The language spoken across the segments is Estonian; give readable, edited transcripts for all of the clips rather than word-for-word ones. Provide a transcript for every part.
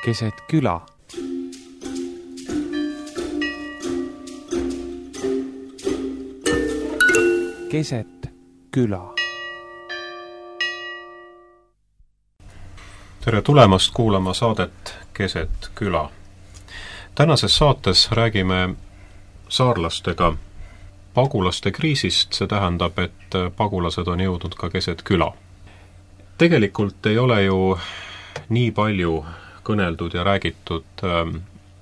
keset küla. Keset küla. Tere tulemast kuulama saadet Keset küla. Tänases saates räägime saarlastega pagulaste kriisist, see tähendab, et pagulased on jõudnud ka keset küla. Tegelikult ei ole ju nii palju kõneldud ja räägitud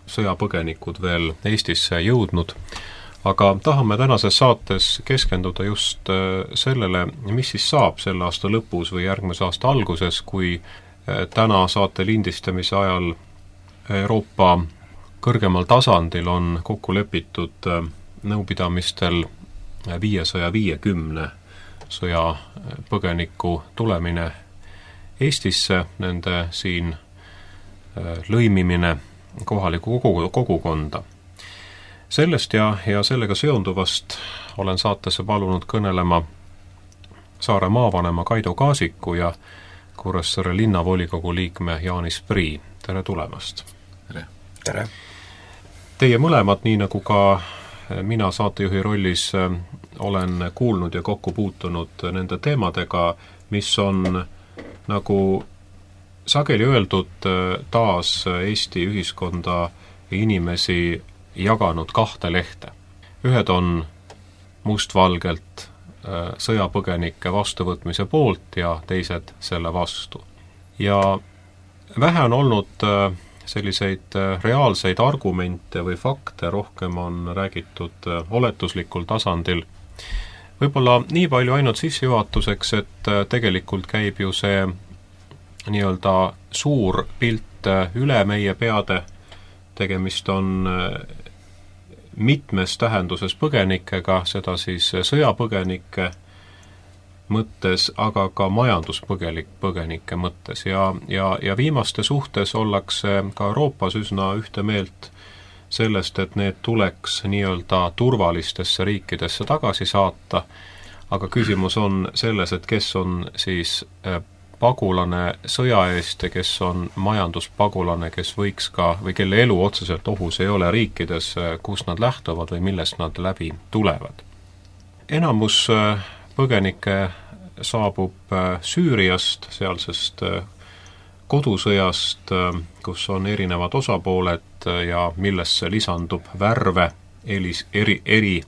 sõjapõgenikud veel Eestisse jõudnud, aga tahame tänases saates keskenduda just sellele, mis siis saab selle aasta lõpus või järgmise aasta alguses, kui täna saate lindistamise ajal Euroopa kõrgemal tasandil on kokku lepitud nõupidamistel 550 sõjapõgeniku tulemine Eestisse, nende siin lõimimine kohalikku kogukonda. Sellest ja sellega seonduvast olen saatesse palunud kõnelema Saare maavanema Kaido Kaasiku ja Kuressaare linnavolikogu liikme Jaanis Prii. Tere tulemast! Tere! Teie mõlemad, nii nagu ka mina saatejuhi rollis, olen kuulnud ja kokku puutunud nende teemadega, mis on nagu sageli öeldud taas Eesti ühiskonda ja inimesi jaganud kahte lehte. Ühed on mustvalgelt sõjapõgenike vastuvõtmise poolt ja teised selle vastu. Ja vähe on olnud selliseid reaalseid argumente või fakte, rohkem on räägitud oletuslikul tasandil. Võib-olla nii palju ainult sissejuhatuseks, et tegelikult käib ju see nii-öelda suur pilt üle meie peade, tegemist on mitmes tähenduses põgenikega, seda siis sõjapõgenike mõttes, aga ka majanduspõgenike mõttes ja viimaste suhtes ollakse ka Euroopas üsna ühte meelt sellest, et need tuleks nii-öelda turvalistesse riikidesse tagasi saata, aga küsimus on selles, et kes on siis pagulane sõja eest ja kes on majanduspagulane, kes võiks ka, või kelle elu otseselt ohus ei ole riikides, kus nad lähtuvad või millest nad läbi tulevad. Enamus põgenikke saabub Süüriast, sealsest kodusõjast, kus on erinevad osapooled ja millesse lisandub värve eri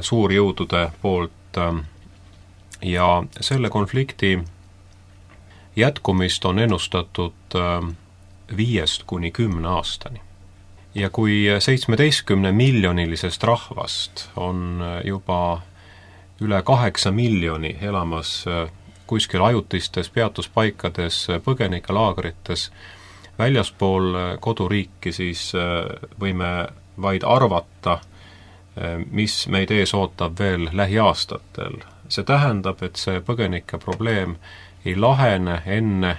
suurjõudude poolt ja selle konflikti jätkumist on ennustatud 5–10 aastani. Ja kui 17 miljonilisest rahvast on juba üle 8 miljoni elamas kuskil ajutistes peatuspaikades, põgenikelaagrites, väljaspool koduriiki, siis võime vaid arvata, mis meid ees ootab veel lähiaastatel. See tähendab, et see põgenike probleem ei lahene enne,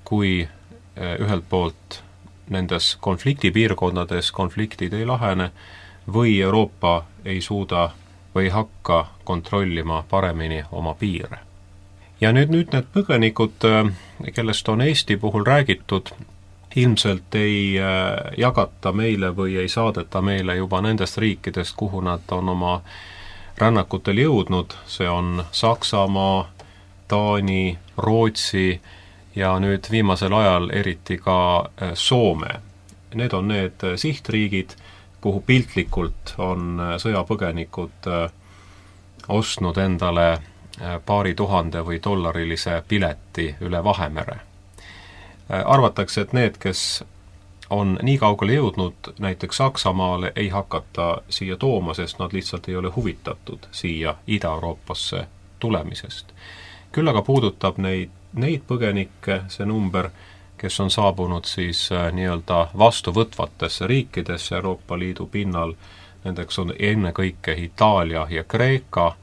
kui ühelt poolt nendes konfliktipiirkondades konfliktid ei lahene või Euroopa ei suuda või ei hakka kontrollima paremini oma piire. Ja nüüd need põgenikud, kellest on Eesti puhul räägitud, ilmselt ei jagata meile või ei saadeta meile juba nendest riikidest, kuhu nad on oma rännakutel jõudnud. See on Saksamaa, Taani, Rootsi ja nüüd viimasel ajal eriti ka Soome. Need on need sihtriigid, kuhu piltlikult on sõjapõgenikud ostnud endale paari tuhande või dollarilise pileti üle Vahemere. Arvatakse, et need, kes on nii kaugele jõudnud näiteks Saksamaale, ei hakata siia tooma, sest nad lihtsalt ei ole huvitatud siia Ida-Euroopasse tulemisest. Küll aga puudutab neid põgenikke, see number, kes on saabunud siis nii-öelda vastuvõtvatesse riikidesse Euroopa Liidu pinnal, nendeks on ennekõike Itaalia ja Kreeka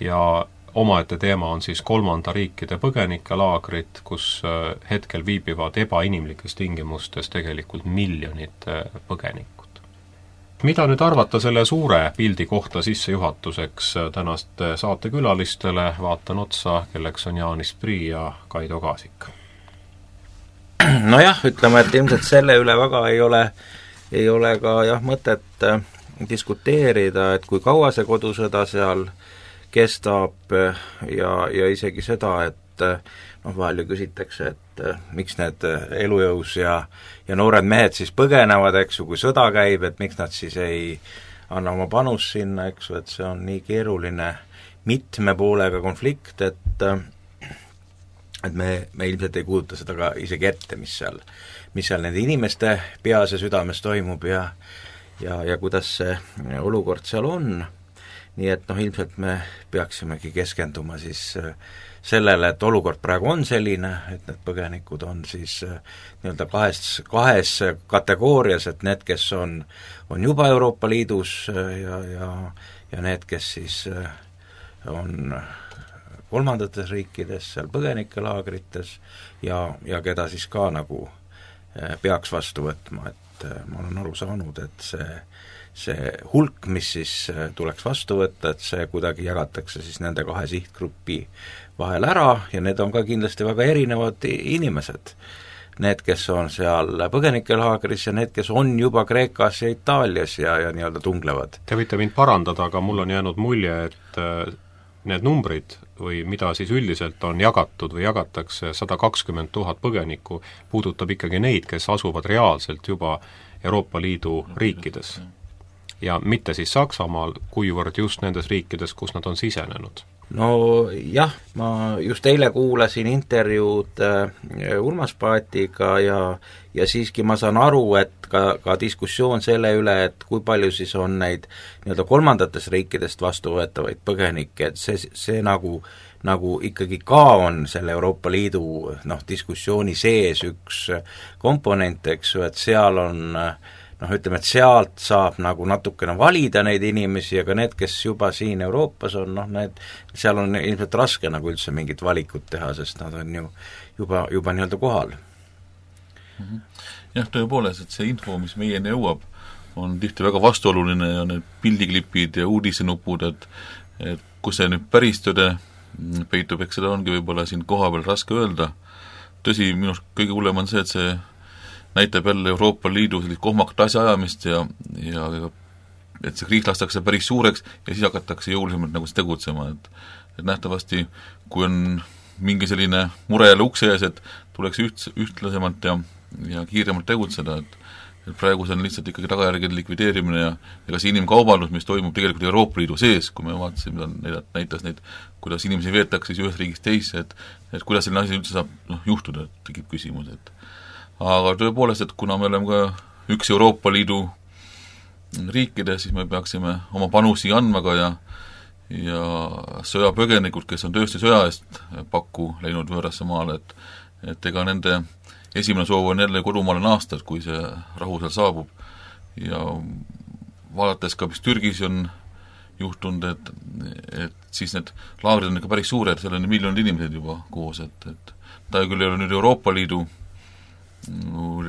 ja omaette teema on siis kolmanda riikide põgenikelaagrid, kus hetkel viibivad ebainimlikes tingimustes tegelikult miljonid põgenikkud. Mida nüüd arvata selle suure pildi kohta sissejuhatuseks tänaste saatekülalistele, vaatan otsa, kelleks on Jaanis Prii ja Kaido Kaasik. Nojah, ütleme, et ilmselt selle üle väga ei ole ka jah mõtet diskuteerida, et kui kaua see kodusõda seal kestab ja isegi seda, et vahel ju küsitakse, et miks need elujõus ja noored mehed siis põgenevad, eks ju, kui sõda käib, et miks nad siis ei anna oma panust sinna, eks ju, et see on nii keeruline mitme poolega konflikt, et me ilmselt ei kujuta seda ka isegi ette, mis seal nende inimeste peas ja südames toimub ja kuidas see olukord seal on. Nii et ilmselt me peaksimegi keskenduma siis sellele, et olukord praegu on selline, et need põgenikud on siis nii-öelda kahes kategoorias, et need, kes on juba Euroopa Liidus ja need, kes siis on kolmandates riikides, seal põgenikelaagrites ja keda siis ka nagu peaks vastu võtma, et ma olen aru saanud, et see hulk, mis siis tuleks vastu võtta, et see kuidagi jagatakse siis nende kahe sihtgrupi vahel ära ja need on ka kindlasti väga erinevad inimesed. Need, kes on seal põgenikelaagris ja need, kes on juba Kreekas ja Itaalias ja nii-öelda tunglevad. Te võite mind parandada, aga mul on jäänud mulje, et need numbrid või mida siis üldiselt on jagatud või jagatakse 120 000 põgenikku, puudutab ikkagi neid, kes asuvad reaalselt juba Euroopa Liidu riikides. Ja mitte siis Saksamaal, kuivõrd just nendes riikides, kus nad on sisenenud. No jah, ma just eile kuulasin intervjuud Urmas Paetiga ja siiski ma saan aru, et ka diskussioon selle üle, et kui palju siis on neid nii-öelda kolmandatest riikidest vastuvõetavaid põgenikke, et see nagu ikkagi ka on selle Euroopa Liidu diskussiooni sees üks komponent, eks ju, et seal on ütleme, et sealt saab nagu natukene valida neid inimesi, aga need, kes juba siin Euroopas on, seal on ilmselt raske nagu üldse mingit valikut teha, sest nad on ju juba nii-öelda kohal. Jah, tõepoolest, et see info, mis meieni jõuab, on tihti väga vastuoluline ja need pildiklipid ja uudisenupud, et kus see nüüd päris tõde peitub, eks seda ongi võib-olla siin koha peal raske öelda. Tõsi, minust kõige hullem on see, et see näitab jälle Euroopa Liidu sellist kohmakat asjaajamist ja et see kriis lastakse päris suureks ja siis hakatakse jõulisemalt nagu tegutsema, et nähtavasti, kui on mingi selline mure jälle ukse ees, et tuleks ühtlasemalt ja kiiremalt tegutseda, et praegu see on lihtsalt ikkagi tagajärgede likvideerimine ja ka see inimkaubandus, mis toimub tegelikult Euroopa Liidu sees, kui me vaatasime, mida näitas neid, kuidas inimesi veetakse siis ühes riigis teisse, et kuidas selline asi üldse saab juhtuda, et tekib küsimus, aga tõepoolest, et kuna me oleme ka üks Euroopa Liidu riikide, siis me peaksime oma panusi andma ka ja sõjapõgenikud, kes on tõesti sõja eest pakku läinud võõrasse maale, et ega nende esimene soov on jälle kodumaale naasta, kui see rahu seal saabub ja vaadates ka, mis Türgis on juhtunud, et siis need laagrid on ikka päris suured, seal on miljonid inimesed juba koos, et ta küll ei ole nüüd Euroopa Liidu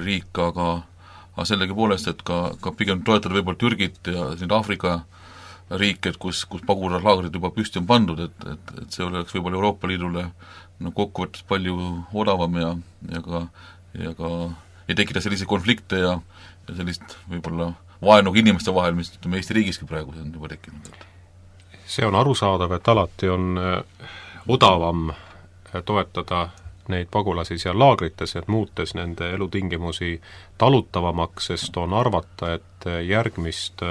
riik, aga sellegi poolest, et ka pigem toetada võib-olla Türgit ja siin Aafrika riik, et kus pagulaslaagrid juba püsti on pandud, et see oleks võib-olla Euroopa Liidule kokkuvõttes palju odavam ja ei tekita selliseid konflikte ja sellist võib-olla vaenu inimeste vahel, mis Eesti riigiski praegu on juba tekkinud. See on arusaadav, et alati on odavam toetada neid pagulasi seal laagrites, et muutes nende elutingimusi talutavamaks, sest on arvata, et järgmist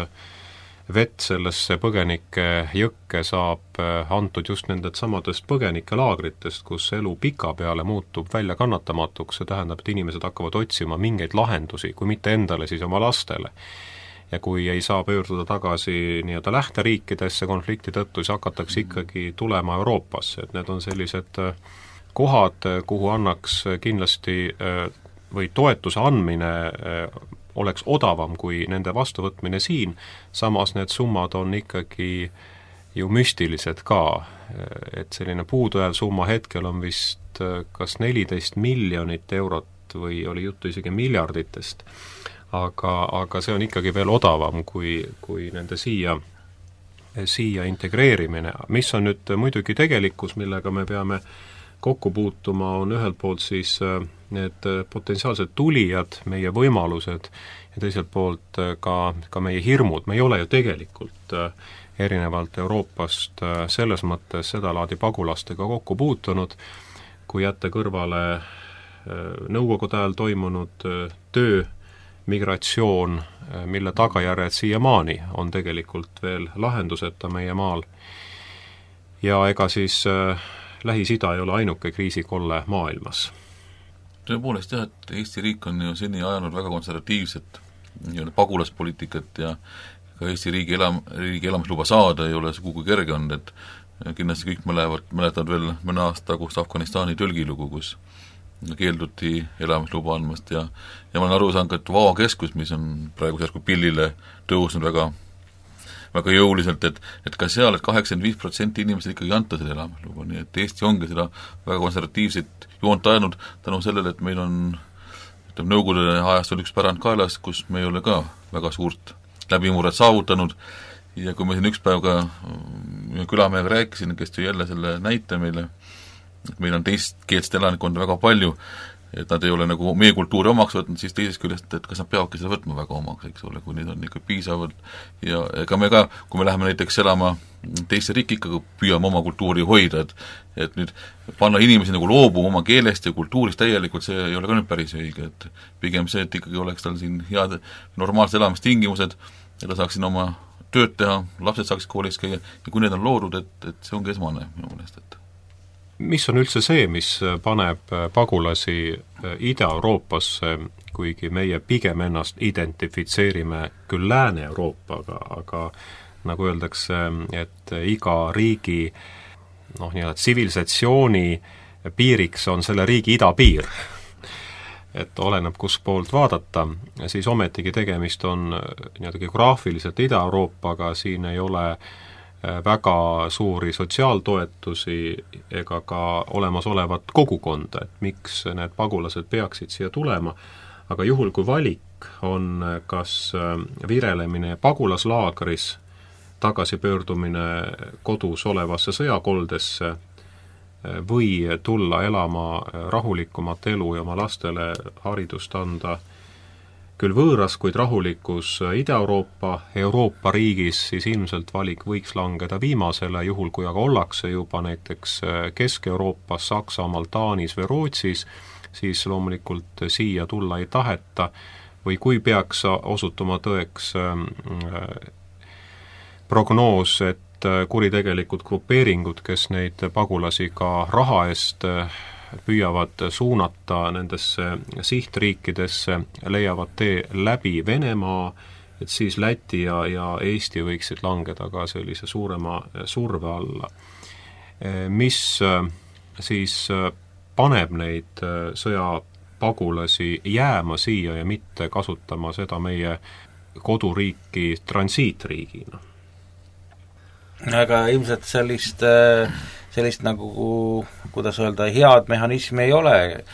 vett sellesse põgenike jõkke saab antud just nendelt samadest põgenikelaagritest, kus elu pika peale muutub välja kannatamatuks, see tähendab, et inimesed hakkavad otsima mingeid lahendusi, kui mitte endale, siis oma lastele. Ja kui ei saa pöörduda tagasi nii-öelda lähteriikidesse konflikti tõttu, siis hakatakse ikkagi tulema Euroopasse, et need on sellised kohad, kuhu annaks kindlasti või toetuse andmine oleks odavam kui nende vastuvõtmine siin, samas need summad on ikkagi ju müstilised ka, et selline puudujääv summa hetkel on vist kas 14 miljonit eurot või oli juttu isegi miljarditest, aga see on ikkagi veel odavam kui nende siia integreerimine, mis on nüüd muidugi tegelikkus, millega me peame kokku puutuma, on ühelt poolt siis need potentsiaalsed tulijad, meie võimalused ja teiselt poolt ka meie hirmud, me ei ole ju tegelikult erinevalt Euroopast selles mõttes sedalaadi pagulastega kokku puutunud, kui jätta kõrvale nõukogude ajal toimunud töömigratsioon, mille tagajärjed siiamaani on tegelikult veel lahenduseta meie maal. Ja ega siis Lähis-Ida ei ole ainuke kriisikolle maailmas. Tõepoolest jah, et Eesti riik on ju seni ajanud väga konservatiivset pagulaspoliitikat ja ka Eesti riigi elamisluba saada ei ole sugugi kerge olnud, et kindlasti kõik mäletavad veel mõne aasta tagust Afganistani tõlgilugu, kus keelduti elamisluba andmast ja ma olen aru saanud, et Vao keskus, mis on praegu järsku pillile tõusnud väga jõuliselt, et ka seal, et 85% inimesed ikkagi anta selle elamisluba, nii et Eesti ongi seda väga konservatiivset joont ajanud tänu sellele, et meil on nõukogude ajast oli üks pärand kaelas, kus me ei ole ka väga suurt läbimurret saavutanud ja kui ma siin üks päev ka külamehega rääkisin, kes tõi jälle selle näite meile, et meil on teistkeelset elanikkonda väga palju, et nad ei ole nagu meie kultuuri omaks võtnud, siis teisest küljest, et kas nad peavadki seda võtma väga omaks, eks ole, kui neid on ikka piisavalt ja ega me ka, kui me läheme näiteks elama teisse riiki, ikkagi püüame oma kultuuri hoida, et nüüd panna inimesi nagu loobuma oma keelest ja kultuurist täielikult, see ei ole ka nüüd päris õige, et pigem see, et ikkagi oleks tal siin head normaalsed elamistingimused ja ta saaks siin oma tööd teha, lapsed saaksid koolis käia ja kui need on loodud, et see ongi esmane minu meelest, et mis on üldse see, mis paneb pagulasi Ida-Euroopasse, kuigi meie pigem ennast identifitseerime küll Lääne-Euroopaga, aga nagu öeldakse, et iga riigi tsivilisatsiooni piiriks on selle riigi idapiir. Et oleneb, kus poolt vaadata, siis ometigi tegemist on geograafiliselt Ida-Euroopaga, siin ei ole väga suuri sotsiaaltoetusi ega ka olemasolevat kogukonda, et miks need pagulased peaksid siia tulema, aga juhul kui valik on kas virelemine pagulaslaagris, tagasipöördumine kodus olevasse sõjakoldesse või tulla elama rahulikumat elu ja oma lastele haridust anda küll võõras, kuid rahulikus Ida-Euroopa riigis, siis ilmselt valik võiks langeda viimasele, juhul kui aga ollakse juba näiteks Kesk-Euroopas, Saksamaal, Taanis või Rootsis, siis loomulikult siia tulla ei taheta või kui peaks osutuma tõeks prognoos, et kuritegelikud grupeeringud, kes neid pagulasi ka raha eest püüavad suunata nendesse sihtriikidesse, leiavad tee läbi Venemaa, et siis Läti ja Eesti võiksid langeda ka sellise suurema surve alla. Mis siis paneb neid sõjapagulasi jääma siia ja mitte kasutama seda meie koduriiki transiitriigina? Aga ilmselt sellist nagu, kuidas öelda, head mehhanismi ei ole.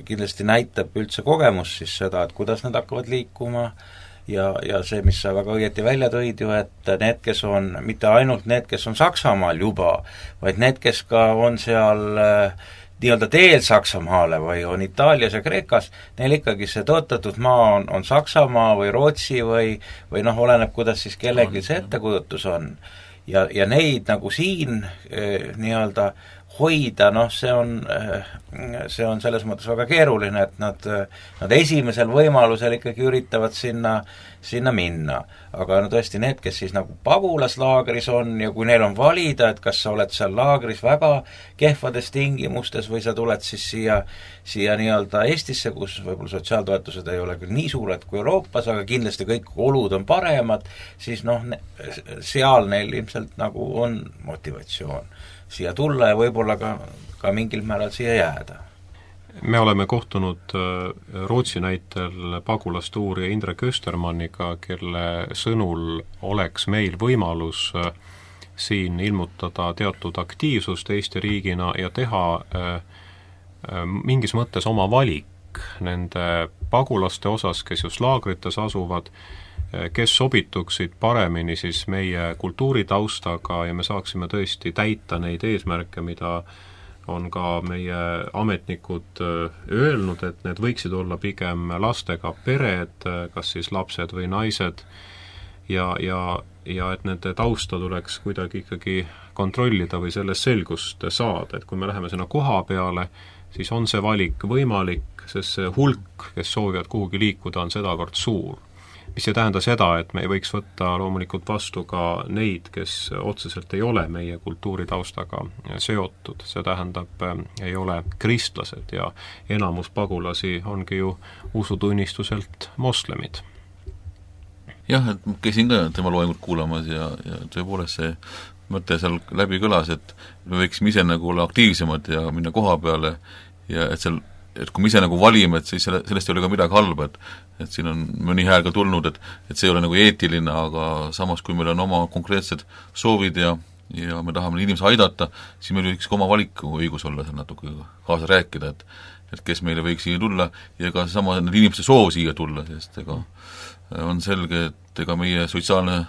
Kindlasti näitab üldse kogemus siis seda, et kuidas need hakkavad liikuma ja see, mis sa väga õieti välja tõid ju, et need, kes on, mitte ainult need, kes on Saksamaal juba, vaid need, kes ka on seal nii-öelda teel Saksamaale või on Itaalias ja Kreekas, neil ikkagi see tõotatud maa on Saksamaa või Rootsi või oleneb, kuidas siis kellelgi see ettekujutus on. Ja neid nagu siin nii-öelda hoida, see on selles mõttes väga keeruline, et nad esimesel võimalusel ikkagi üritavad sinna minna. Aga tõesti need, kes siis nagu pagulaslaagris on ja kui neil on valida, et kas sa oled seal laagris väga kehvades tingimustes või sa tuled siis siia nii-öelda Eestisse, kus võib-olla sotsiaaltoetused ei ole küll nii suured kui Euroopas, aga kindlasti kõik olud on paremad, siis seal neil ilmselt nagu on motivatsioon siia tulla ja võib-olla ka mingil määral siia jääda. Me oleme kohtunud Rootsi näitel pagulastuurija Indrek Östermanniga, kelle sõnul oleks meil võimalus siin ilmutada teatud aktiivsust Eesti riigina ja teha mingis mõttes oma valik nende pagulaste osas, kes just laagrites asuvad, kes sobituksid paremini siis meie kultuuritaustaga ja me saaksime tõesti täita neid eesmärke, mida on ka meie ametnikud öelnud, et need võiksid olla pigem lastega pered, kas siis lapsed või naised, ja et nende tausta tuleks kuidagi ikkagi kontrollida või sellest selgust saada, et kui me läheme sinna koha peale, siis on see valik võimalik, sest see hulk, kes soovivad kuhugi liikuda, on sedavõrd suur. Mis ei tähenda seda, et me ei võiks võtta loomulikult vastu ka neid, kes otseselt ei ole meie kultuuritaustaga seotud. See tähendab, ei ole kristlased ja enamus pagulasi ongi ju usutunnistuselt moslemid. Jah, et käisin ka tema loengut kuulamas ja tõepoolest see mõte seal läbi kõlas, et me võiksime ise nagu olla aktiivsemad ja minna koha peale ja et kui me ise nagu valime, et siis sellest ei ole ka midagi halba, et siin on mõni hääl ka tulnud, et see ei ole nagu eetiline, aga samas, kui meil on oma konkreetsed soovid ja me tahame inimesi aidata, siis meil võiks ka oma valiku õigus olla seal natuke kaasa rääkida, et kes meile võiks siia tulla ja ka sama need inimeste soov siia tulla, sest ega on selge, et ega meie sotsiaalne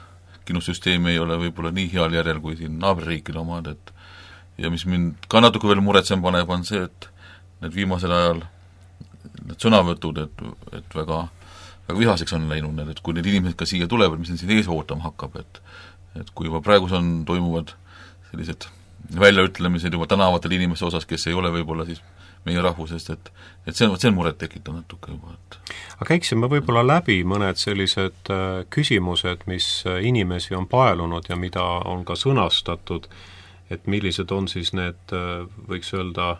kindlussüsteem ei ole võib-olla nii heal järjel kui siin naaberriikide omad, ja mis mind ka natuke veel muretsem paneb, on see, et need viimasel ajal need sõnavõtud, et väga vihaseks on läinud need, et kui need inimesed ka siia tulevad, mis need siin ees ootama hakkab, et kui juba praegu toimuvad sellised väljaütlemised juba tänavatel inimeste osas, kes ei ole võib-olla siis meie rahvusest, et see on muret tekitav natuke juba, Aga käiksime võib-olla läbi mõned sellised küsimused, mis inimesi on paelunud ja mida on ka sõnastatud, et millised on siis need, võiks öelda,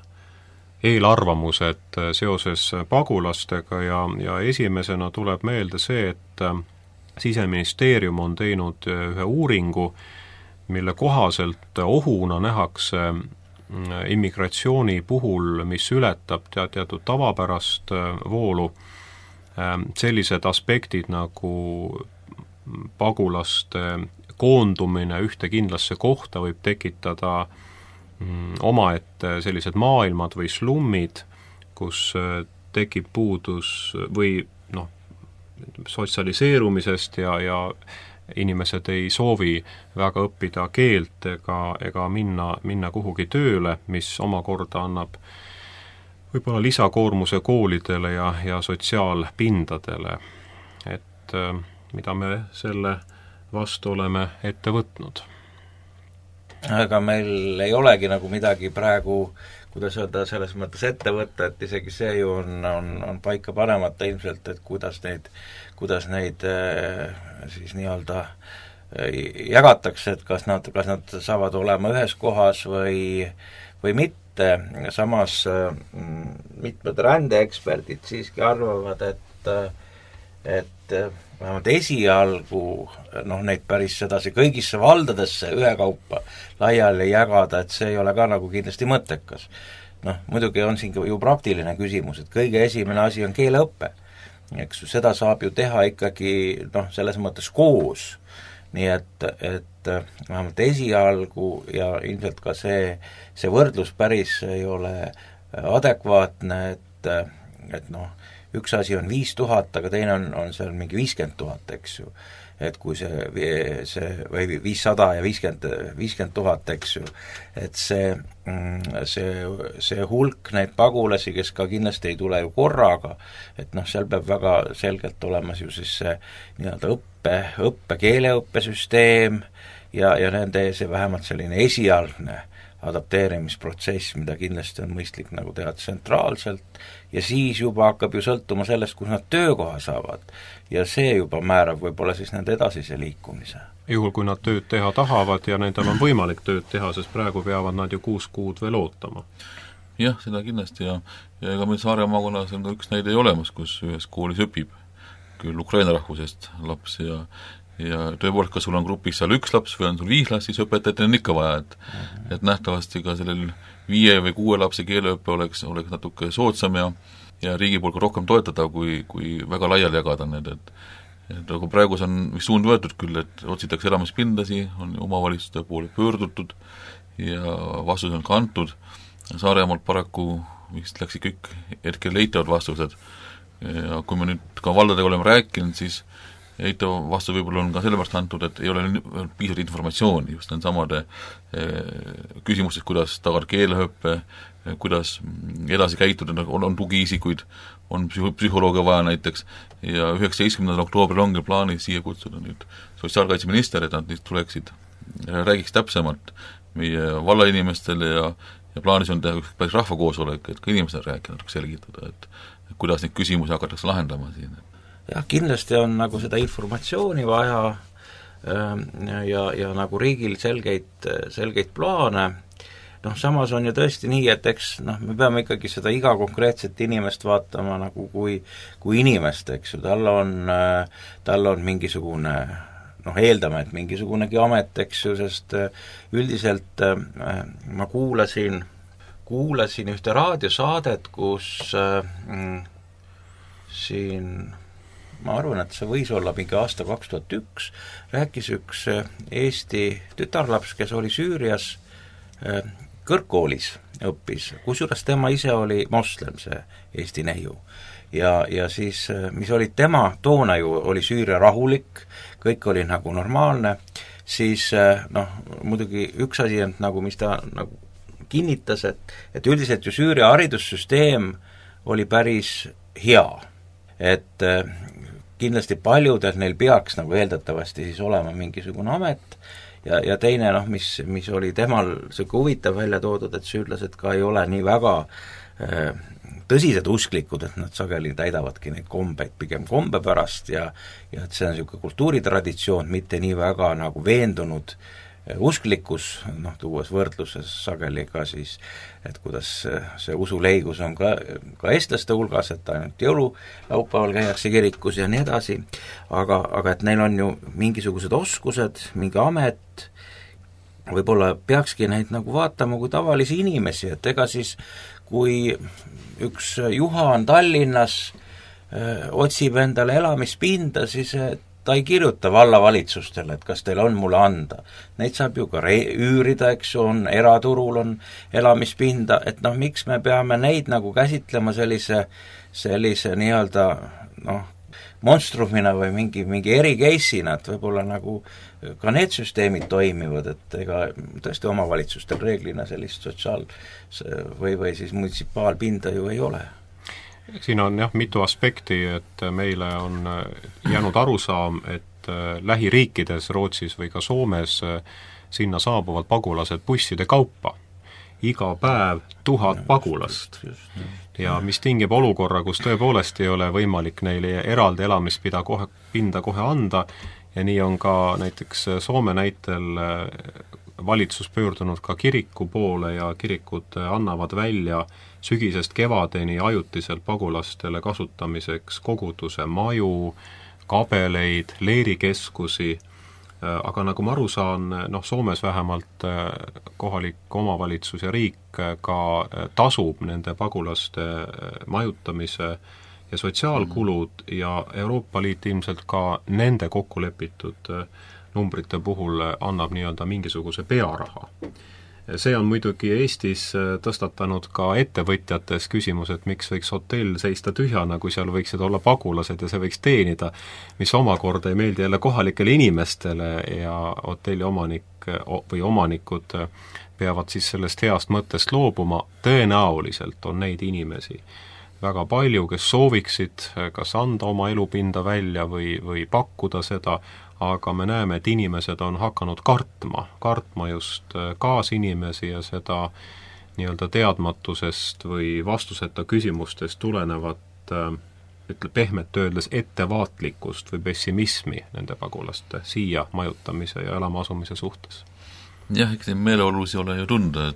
eelarvamused seoses pagulastega ja esimesena tuleb meelde see, et Siseministeerium on teinud ühe uuringu, mille kohaselt ohuna nähakse immigratsiooni puhul, mis ületab teatud tavapärast voolu, sellised aspektid nagu pagulaste koondumine ühte kindlasse kohta võib tekitada omaette sellised maailmad või slummid, kus tekib puudus või sotsialiseerumisest ja inimesed ei soovi väga õppida keelt ega minna kuhugi tööle, mis omakorda annab võib-olla lisakoormuse koolidele ja sotsiaalpindadele. Et mida me selle vastu oleme ette võtnud? Aga meil ei olegi nagu midagi praegu, kuidas öelda, selles mõttes ette võtta, et isegi see ju on paika panemata ilmselt, et kuidas neid siis nii-öelda jagatakse, et kas nad saavad olema ühes kohas või mitte. Samas mitmed rändeeksperdid siiski arvavad, et vähemalt esialgu neid päris sedasi kõigisse valdadesse ühekaupa laiali jagada, et see ei ole ka nagu kindlasti mõttekas. Muidugi on siin ju praktiline küsimus, et kõige esimene asi on keeleõppe. Eks seda saab ju teha ikkagi selles mõttes koos. Nii et vähemalt esialgu ja ilmselt ka see võrdlus päris ei ole adekvaatne, et üks asi on 5000, aga teine on seal mingi 50 000, eks ju. Et kui see või 500 ja 50 000, eks ju, et see hulk neid pagulasi, kes ka kindlasti ei tule ju korraga, et seal peab väga selgelt olema ju siis see nii-öelda keeleõppesüsteem ja nende see vähemalt selline esialgne adapteerimisprotsess, mida kindlasti on mõistlik nagu teha tsentraalselt ja siis juba hakkab ju sõltuma sellest, kus nad töökoha saavad ja see juba määrab võib-olla siis nende edasise liikumise. Juhul, kui nad tööd teha tahavad ja nendel on võimalik tööd teha, sest praegu peavad nad ju 6 kuud veel ootama. Jah, seda kindlasti ja ega meil Saare maakonnas on ka üks näide olemas, kus ühes koolis õpib küll Ukraina rahvusest laps ja tõepoolest, kas sul on grupis seal 1 laps või on sul 5 last, siis õpetajatel on ikka vaja, et nähtavasti ka sellel 5 või 6 lapse keeleõppe oleks natuke soodsam ja riigi poolt ka rohkem toetada, kui väga laiali jagada need, et aga praegu on vist suund võetud küll, et otsitakse elamispindasi, on omavalitsuste poole pöördutud ja vastus on ka antud, Saaremaalt paraku vist läks kõik hetkel leitavad vastused ja kui me nüüd ka valdadega oleme rääkinud, siis eitav vastu võib-olla on ka sellepärast antud, et ei ole piisavalt informatsiooni just nendesamade küsimustes, kuidas tagada keeleõppe, kuidas edasi käituda, on tugiisikuid, on psühholoogia vaja näiteks, ja 19. oktoobril ongi plaanis siia kutsuda nüüd sotsiaalkaitseminister, et nad tuleksid, räägiks täpsemalt meie vallainimestele ja plaanis on teha päris rahvakoosolek, et ka inimestel rääkida, natuke selgitada, et kuidas neid küsimusi hakatakse lahendama siin. Jah, kindlasti on nagu seda informatsiooni vaja ja nagu riigil selgeid plaane. Samas on ju tõesti nii, et eks me peame ikkagi seda iga konkreetset inimest vaatama nagu kui inimest, eks ju, tal on mingisugune eeldame, et mingisugunegi amet, eks ju, sest üldiselt ma kuulasin ühte raadiosaadet, kus siin ma arvan, et see võis olla mingi aasta 2001, rääkis üks Eesti tütarlaps, kes oli Süürias kõrgkoolis õppis, kusjuures tema ise oli moslem, see Eesti neiu. Ja siis, mis oli tema, toona ju oli Süüria rahulik, kõik oli nagu normaalne, siis muidugi üks asi on nagu, mis ta nagu kinnitas, et üldiselt ju Süüria haridussüsteem oli päris hea, et kindlasti paljudel neil peaks nagu eeldatavasti siis olema mingisugune amet ja teine, mis oli temal selline huvitav välja toodud, et süürlased ka ei ole nii väga tõsised usklikud, et nad sageli täidavadki neid kombeid pigem kombe pärast ja et see on niisugune kultuuritraditsioon, mitte nii väga nagu veendunud usklikkus, tuues võrdluses sageli ka siis, et kuidas see usuleigus on ka eestlaste hulgas, et ainult jõululaupäeval käiakse kirikus ja nii edasi, aga et neil on ju mingisugused oskused, mingi amet, võib-olla peakski neid nagu vaatama kui tavalisi inimesi, et ega siis kui üks Juha on Tallinnas, otsib endale elamispinda, siis ta ei kirjuta vallavalitsustele, et kas teil on mulle anda. Neid saab ju ka üürida, eks ju, eraturul on elamispinda, et miks me peame neid nagu käsitlema sellise nii-öelda monstrumina või mingi eri-case'ina, et võib-olla nagu ka need süsteemid toimivad, et ega tõesti omavalitsustel reeglina sellist või siis munitsipaalpinda ju ei ole. Siin on mitu aspekti, et meile on jäänud arusaam, et lähiriikides, Rootsis või ka Soomes sinna saabuvad pagulased busside kaupa. Iga päev 1000 pagulast. Ja mis tingib olukorra, kus tõepoolest ei ole võimalik neile eraldi elamispinda kohe anda ja nii on ka näiteks Soome näitel valitsus pöördunud ka kiriku poole ja kirikud annavad välja sügisest kevadeni ajutiselt pagulastele kasutamiseks koguduse maju, kabeleid, leerikeskusi, aga nagu ma aru saan, Soomes vähemalt kohalik omavalitsus ja riik ka tasub nende pagulaste majutamise ja sotsiaalkulud ja Euroopa Liit ilmselt ka nende kokkulepitud numbrite puhul annab nii-öelda mingisuguse pearaha. See on muidugi Eestis tõstatanud ka ettevõtjates küsimus, et miks võiks hotell seista tühjana, kui seal võiksid olla pagulased ja see võiks teenida, mis omakorda ei meeldi jälle kohalikele inimestele ja hotelli omanikud peavad siis sellest heast mõttest loobuma. Tõenäoliselt on neid inimesi väga palju, kes sooviksid kas anda oma elupinda välja või pakkuda seda, aga me näeme, et inimesed on hakanud kartma just kaasinimesi ja seda nii-öelda teadmatusest või vastuseta küsimustest tulenevat, pehmelt öeldes ettevaatlikkust või pessimismi nende pagulaste siia majutamise ja elama asumise suhtes. Jah, eks neid meeleolusi ole ju tunda,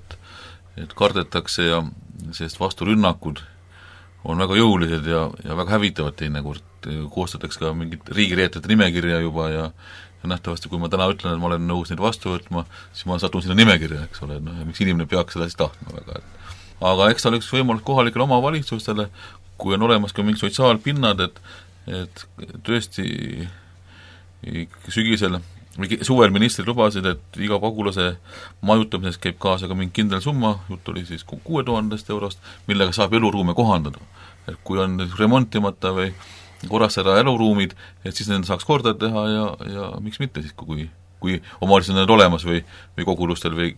et kardetakse ja sest vasturünnakud on väga jõulised ja väga hävitavad teinekord, koostatakse ka mingit riigireetajate nimekirja juba ja nähtavasti, kui ma täna ütlen, et ma olen nõus neid vastu võtma, siis ma satun sinna nimekirja, eks ole, miks inimene peaks seda siis tahtma väga. Aga eks ta oleks võimalus kohalikele omavalitsustele, kui on olemas ka mingi sotsiaalpinnad, et tõesti sügisel või suvel ministrid lubasid, et iga pagulase majutamisest käib kaasa ka mingi kindel summa, jutt oli siis 6000 eurost, millega saab eluruume kohandada. Et kui on remontimata või korrastada eluruumid, et siis nende saaks korda teha ja miks mitte siis, kui omavalitsused on need olemas või kogulustel või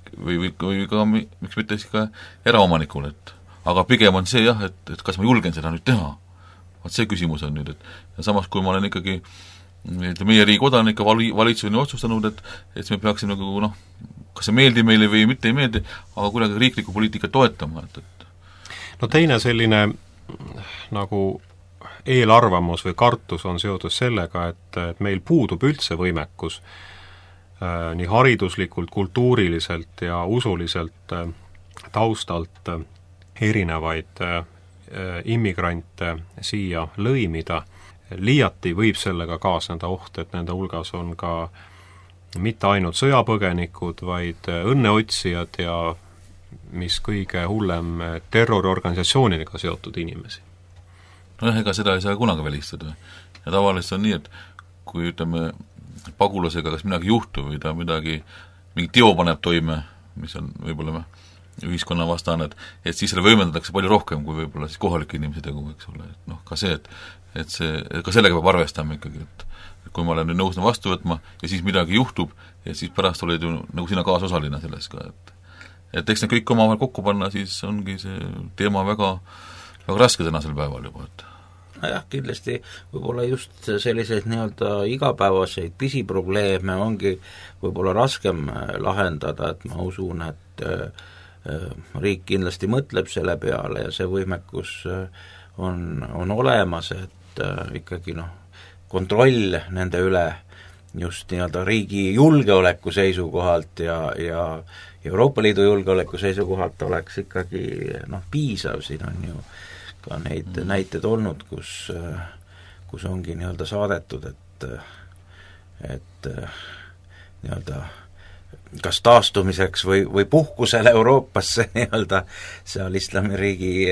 ka miks mitte siis ka eraomanikul, et aga pigem on see jah, et kas ma julgen seda nüüd teha. Vaat see küsimus on nüüd, et ja samas kui ma olen ikkagi meie riigi kodanik ja valitsus on otsustanud, et me peaksime nagu kas see meeldib meile või mitte ei meeldi, aga kuidagi riiklikku poliitikat toetama, et no teine selline nagu eelarvamus või kartus on seotud sellega, et meil puudub üldse võimekus nii hariduslikult, kultuuriliselt ja usuliselt taustalt erinevaid immigrante siia lõimida. Liiati võib sellega kaasneda oht, et nende hulgas on ka mitte ainult sõjapõgenikud, vaid õnneotsijad ja mis kõige hullem, terroriorganisatsioonidega seotud inimesi. Nojah, ega seda ei saa kunagi välistada. Ja tavaliselt on nii, et kui ütleme pagulasega kas midagi juhtub või ta mingi teo paneb toime, mis on võib-olla ühiskonna vastane, et siis selle võimendatakse palju rohkem kui võib-olla siis kohalike inimese tegu, eks ole, et ka see, et ka sellega peab arvestama ikkagi, et kui ma olen nüüd nõus vastu võtma ja siis midagi juhtub ja siis pärast oled ju nagu sina kaasosaline selles ka, et eks need kõik omavahel kokku panna, siis ongi see teema väga, väga raske tänasel päeval juba, et jah, kindlasti võib-olla just selliseid igapäevaseid pisiprobleeme ongi võib-olla raskem lahendada, et ma usun, et riik kindlasti mõtleb selle peale ja see võimekus on olemas, et ikkagi kontroll nende üle just riigi julgeoleku seisukohalt ja Euroopa Liidu julgeoleku seisukohalt oleks ikkagi piisav, siin on ju ka neid näiteid olnud, kus ongi saadetud, et kas taastumiseks või puhkusele Euroopasse seal islamiriigi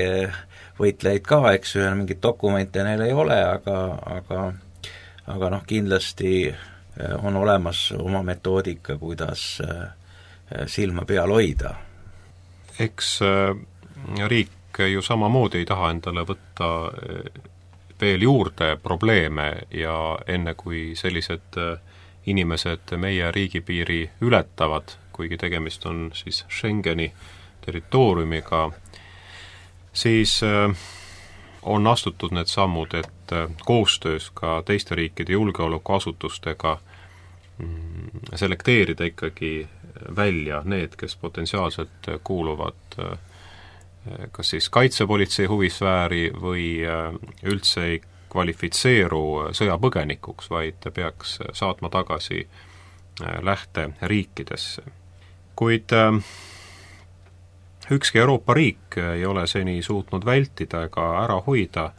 võitlejaid ka, eks ju, ja mingit dokumente neil ei ole, aga kindlasti on olemas oma metoodika, kuidas silma peal hoida. Eks riik ju samamoodi ei taha endale võtta veel juurde probleeme ja enne kui sellised inimesed meie riigipiiri ületavad, kuigi tegemist on siis Schengeni territooriumiga, siis on astutud need sammud, et koostöös ka teiste riikide julgeolekuasutustega selekteerida ikkagi välja need, kes potentsiaalselt kuuluvad kas siis kaitsepolitsei huvisfääri või üldse ei kvalifitseeru sõjapõgenikuks, vaid peaks saatma tagasi lähteriikidesse. Kuid ükski Euroopa riik ei ole seni suutnud vältida ega ära hoida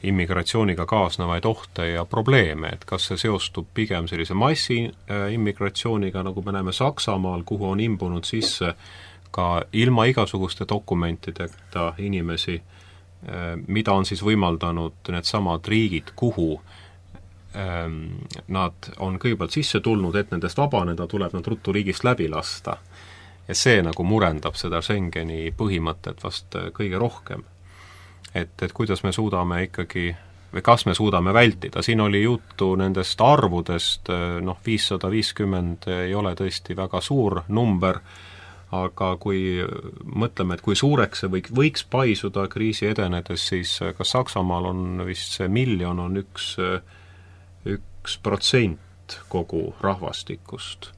immigratsiooniga kaasnevaid ohte ja probleeme, et kas see seostub pigem sellise massiimmigratsiooniga, nagu me näeme Saksamaal, kuhu on imbunud sisse ka ilma igasuguste dokumentideta inimesi, mida on siis võimaldanud need samad riigid, kuhu nad on kõigepealt sisse tulnud, et nendest vabaneda, tuleb nad ruttu riigist läbi lasta. Ja see nagu murendab seda Schengeni põhimõtet vast kõige rohkem. Et kuidas me suudame ikkagi, või kas me suudame vältida, siin oli juttu nendest arvudest, 550 ei ole tõesti väga suur number, aga kui mõtleme, et kui suureks see võiks paisuda kriisi edenedes, siis ka Saksamaal on vist see 1 miljon on 1% kogu rahvastikust.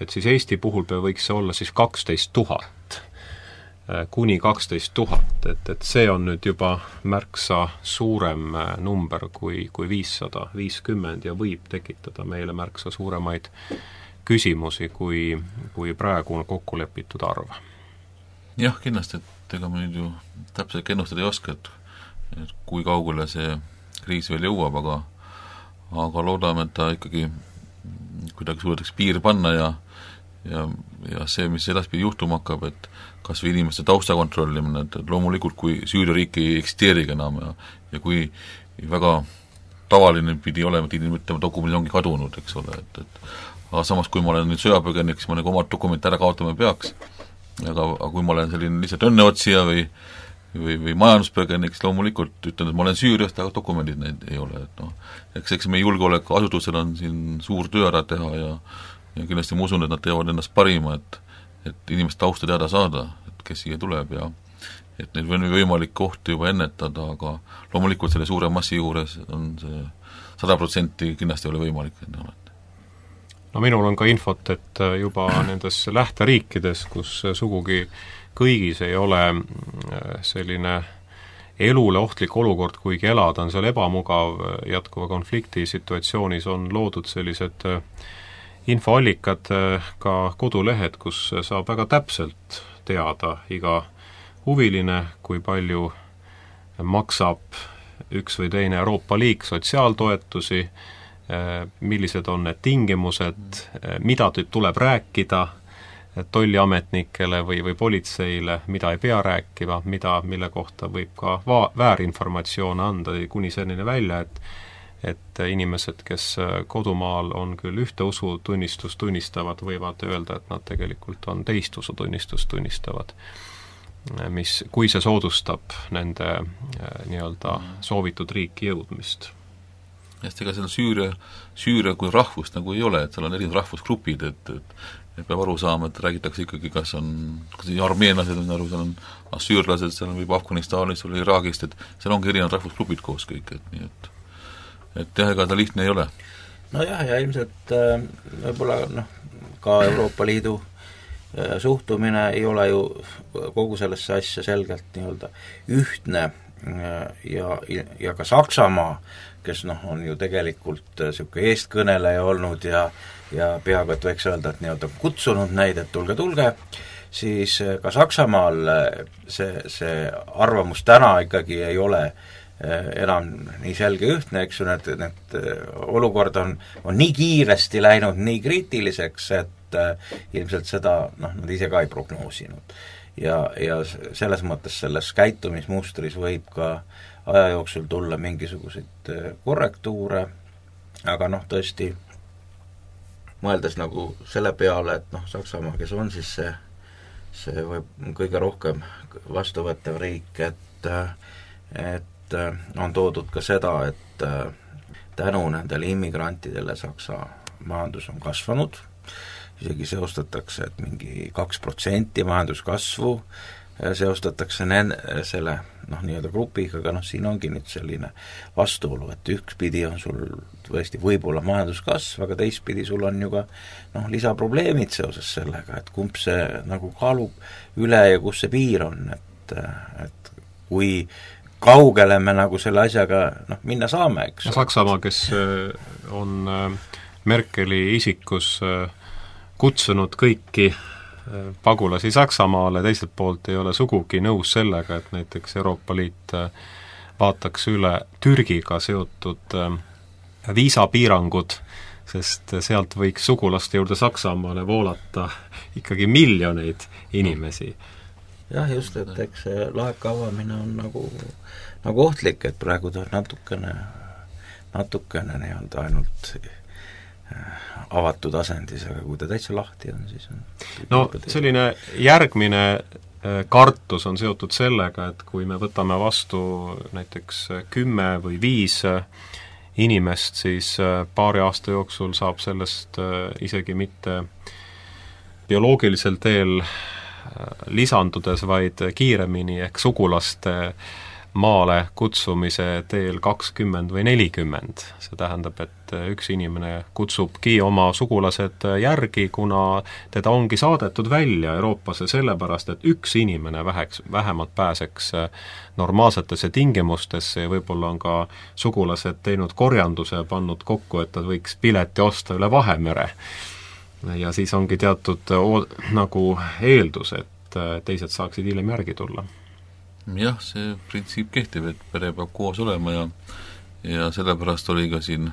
Et siis Eesti puhul võiks see olla siis 12 000, kuni 12 000, et see on nüüd juba märksa suurem number kui 550 ja võib tekitada meile märksa suuremaid küsimusi, kui praegu on kokku lepitud arv. Jah, kindlasti, et ega me nüüd ju täpselt ennustada ei oska, et kui kaugele see kriis veel jõuab, aga loodame, et ta ikkagi kuidagi suudetakse piir panna ja see, mis edaspidi juhtuma hakkab, et kas või inimeste tausta kontrollimine, et loomulikult kui Süüria-riik ei eksisteerigi enam ja kui väga tavaline pidi olema, et inimene dokumendid ongi kadunud, eks ole, et aga samas, kui ma olen nüüd sõjapõgenik, siis ma nagu omad dokumente ära kaotama peaks, aga kui ma olen selline lihtsalt õnneotsija või või majanduspõgenik, siis loomulikult ütlen, et ma olen Süüriast, aga dokumendid neid ei ole, et eks meie julgeolekuasutusel on siin suur töö ära teha ja kindlasti ma usun, et nad teevad ennast parima, et inimest tausta teada saada, et kes siia tuleb ja et neil on võimalik kohti juba ennetada, aga loomulikult selle suure massi juures on see 100% kindlasti ei ole võimalik. No minul on ka infot, et juba nendes lähteriikides, kus sugugi kõigis ei ole selline elule ohtlik olukord, kuigi elada on seal ebamugav jätkuva konflikti situatsioonis, on loodud sellised infoallikad, ka kodulehed, kus saab väga täpselt teada iga huviline, kui palju maksab üks või teine Euroopa liik sotsiaaltoetusi, millised on need tingimused, mida tuleb rääkida tolliametnikele või politseile, mida ei pea rääkima, mille kohta võib ka väärinformatsioone anda, kuni selline välja, et inimesed, kes kodumaal on küll ühte usutunnistust tunnistavad, võivad öelda, et nad tegelikult on teist usutunnistust tunnistavad, kui see soodustab nende nii-öelda soovitud riiki jõudmist. Sest ega seal Süüria kui rahvust nagu ei ole, et seal on erinevad rahvusgrupid, et peab aru saama, et räägitakse ikkagi, kas armeenlased on aru, seal on assüürlased, seal on võib Afganistanist või Iraagist, et seal ongi erinevad rahvusgrupid koos kõik, et nii et jah, ega ta lihtne ei ole. Nojah, ja ilmselt võib-olla ka Euroopa Liidu suhtumine ei ole ju kogu sellesse asja selgelt nii-öelda ühtne ja ka Saksamaa, kes on ju tegelikult niisugune eestkõneleja olnud ja peaaegu, et võiks öelda, et nii-öelda kutsunud neid, et tulge, siis ka Saksamaal see arvamus täna ikkagi ei ole enam nii selge ühtne, eks ju, need olukord on nii kiiresti läinud nii kriitiliseks, et ilmselt seda nad ise ka ei prognoosinud. Ja selles mõttes selles käitumismustris võib ka aja jooksul tulla mingisuguseid korrektuure, aga tõesti mõeldes nagu selle peale, et Saksamaa, kes on siis see võib kõige rohkem vastuvõttev riik, et on toodud ka seda, et tänu nendele immigrantidele Saksa majandus on kasvanud, isegi seostatakse, et mingi 2% majanduskasvu seostatakse selle nii-öelda grupiga, aga siin ongi nüüd selline vastuolu, et ühtpidi on sul tõesti võib-olla majanduskasv, aga teistpidi sul on ju ka lisaprobleemid seoses sellega, et kumb see nagu kaalub üle ja kus see piir on, et kui kaugele me nagu selle asjaga minna saame, eks. Saksamaa, kes on Merkeli isikus kutsunud kõiki pagulasi Saksamaale, teiselt poolt ei ole sugugi nõus sellega, et näiteks Euroopa Liit vaataks üle Türgiga seotud viisapiirangud, sest sealt võiks sugulaste juurde Saksamaale voolata ikkagi miljoneid inimesi. Jah, just, et eks see laeka avamine on nagu ohtlik, et praegu ta natukene nii-öelda ainult avatud asendis, aga kui ta täitsa lahti on, siis on selline järgmine kartus on seotud sellega, et kui me võtame vastu näiteks 10 või 5 inimest, siis paari aasta jooksul saab sellest isegi mitte bioloogilisel teel lisandudes, vaid kiiremini ehk sugulaste maale kutsumise teel 20 või 40. See tähendab, et üks inimene kutsubki oma sugulased järgi, kuna teda ongi saadetud välja Euroopasse sellepärast, et üks inimene vähemalt pääseks normaalsetesse tingimustesse ja võib-olla on ka sugulased teinud korjanduse ja pannud kokku, et nad võiks pileti osta üle Vahemere. Ja siis ongi teatud nagu eeldus, et teised saaksid hiljem järgi tulla. Jah, see printsiip kehtib, et pere peab koos olema ja sellepärast oli ka siin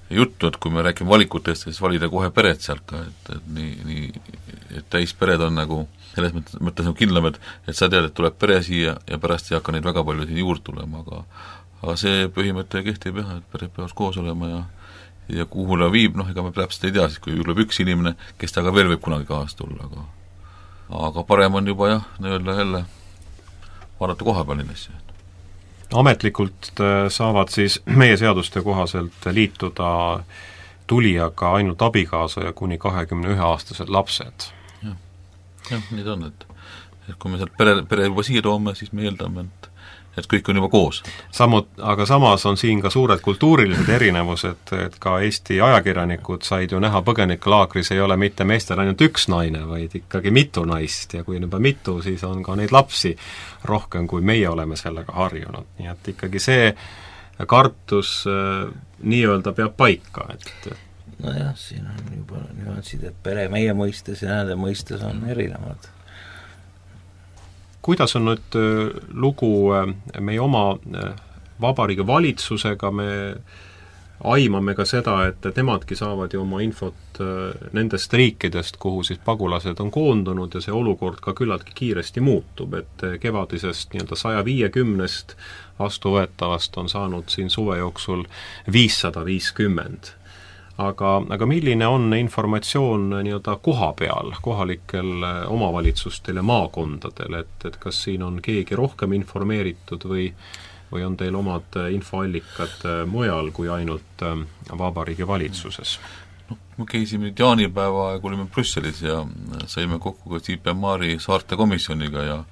juttu, et kui me räägime valikutest, siis valida kohe pered sealt ka, et täispered on nagu selles mõttes nagu kindlam, et sa tead, et tuleb pere siia ja pärast ei hakka neid väga palju siin juurde tulema, aga see põhimõte kehtib jah, et pered peavad koos olema ja kuhu ta viib, ega me täpselt ei tea, siis kui tuleb üks inimene, kes taga veel võib kunagi kaasa tulla, aga parem on juba jah, nii-öelda jälle vaadata koha peal neid asju. Ametlikult saavad siis meie seaduste kohaselt liituda tulijaga ainult abikaasa ja kuni 21-aastased lapsed. Jah, nii ta on, et kui me sealt pere juba siia toome, siis me eeldame, et kõik on juba koos. Aga samas on siin ka suured kultuurilised erinevused, et ka Eesti ajakirjanikud said ju näha põgenikelaagris ei ole mitte meestel ainult üks naine, vaid ikkagi mitu naist ja kui juba mitu, siis on ka neid lapsi rohkem, kui meie oleme sellega harjunud. Nii et ikkagi see kartus nii-öelda peab paika, et nojah, siin on juba nüansid, et pere meie mõistes ja nende mõistes on erinevad. Kuidas on nüüd lugu meie oma vabariigi valitsusega, me aimame ka seda, et nemadki saavad ju oma infot nendest riikidest, kuhu siis pagulased on koondunud ja see olukord ka küllaltki kiiresti muutub, et kevadisest nii-öelda 150 vastuvõetavast on saanud siin suve jooksul 550. Aga milline on informatsioon nii-öelda koha peal, kohalikel omavalitsustel ja maakondadel, et kas siin on keegi rohkem informeeritud või on teil omad infoallikad mujal kui ainult vabariigi valitsuses? Me käisime nüüd jaanipäeva aeg, olime Brüsselis ja saime kokku ka CPMR-i saarte komisjoniga ja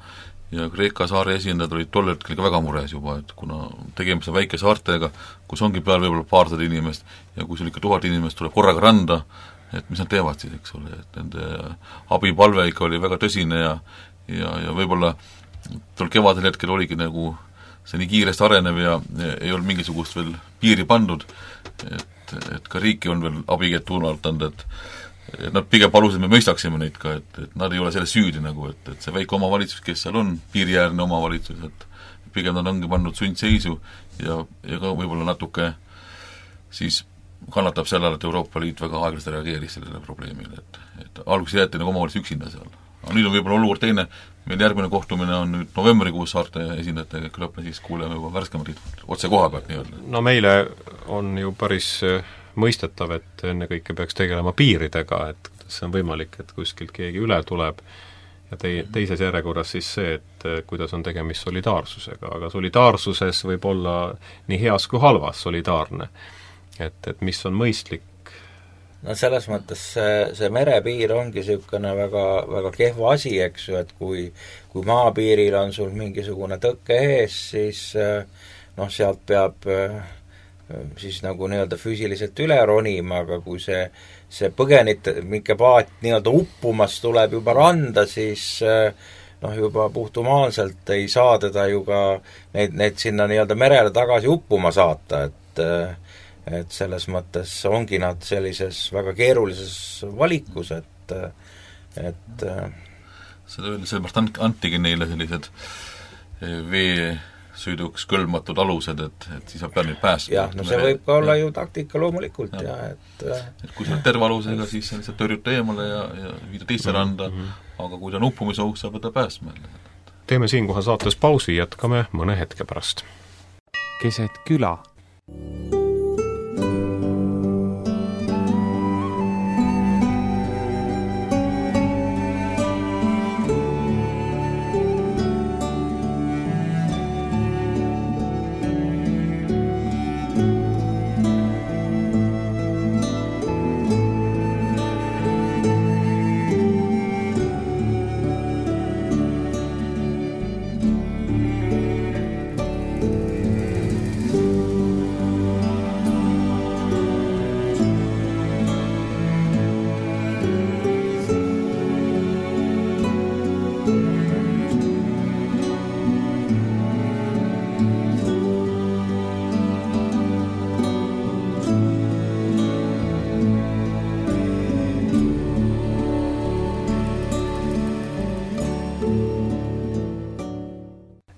Kreeka saare esindajad olid tol hetkel ka väga mures juba, et kuna tegemist on väike saartega, kus ongi peal võib-olla paarsada inimest ja kui sul ikka 1000 inimest tuleb korraga randa, et mis nad teevad siis, eks ole, et nende abipalve ikka oli väga tõsine ja võib-olla tol kevadel hetkel oligi nagu see nii kiiresti arenev ja ei olnud mingisugust veel piiri pandud, et ka riiki on veel abikäed tuunalt anda, et nad pigem palusid, me mõistaksime neid ka, et nad ei ole selles süüdi nagu, et see väike omavalitsus, kes seal on, piiriäärne omavalitsus, et pigem nad ongi pannud sundseisu ja ka võib-olla natuke siis kannatab sellele, et Euroopa Liit väga aeglaselt reageeris sellele probleemile, et alguses jäeti nagu omavalitsus üksinda seal. Aga nüüd on võib-olla olukord teine, meil järgmine kohtumine on nüüd novembrikuus saarte esindajatega, küllap me siis kuuleme juba värskemad otse koha pealt nii-öelda. No meile on ju päris mõistetav, et ennekõike peaks tegelema piiridega, et see on võimalik, et kuskilt keegi üle tuleb ja teises järjekorras siis see, et kuidas on tegemist solidaarsusega, aga solidaarsuses võib olla nii heas kui halvas solidaarne, et mis on mõistlik. No selles mõttes see merepiir ongi niisugune väga, väga kehva asi, eks ju, et kui maapiiril on sul mingisugune tõkke ees, siis sealt peab siis nagu nii-öelda füüsiliselt üle ronima, aga kui see põgenike paat nii-öelda uppumas tuleb juba randa, siis juba puhtumaalselt ei saa teda ju ka neid sinna nii-öelda merele tagasi uppuma saata, et selles mõttes ongi nad sellises väga keerulises valikus, et sellepärast antigi neile sellised veesõiduks kõlbmatud alused, et siis peab neid päästma. Jah, no see võib ka olla ju taktika loomulikult ja et kui sa oled terve alusega, siis sa lihtsalt tõrjuta eemale ja viida teisse randa, aga kui ta on uppumise ohus, saab ta päästma. Teeme siinkohal saates pausi, jätkame mõne hetke pärast. Keset küla.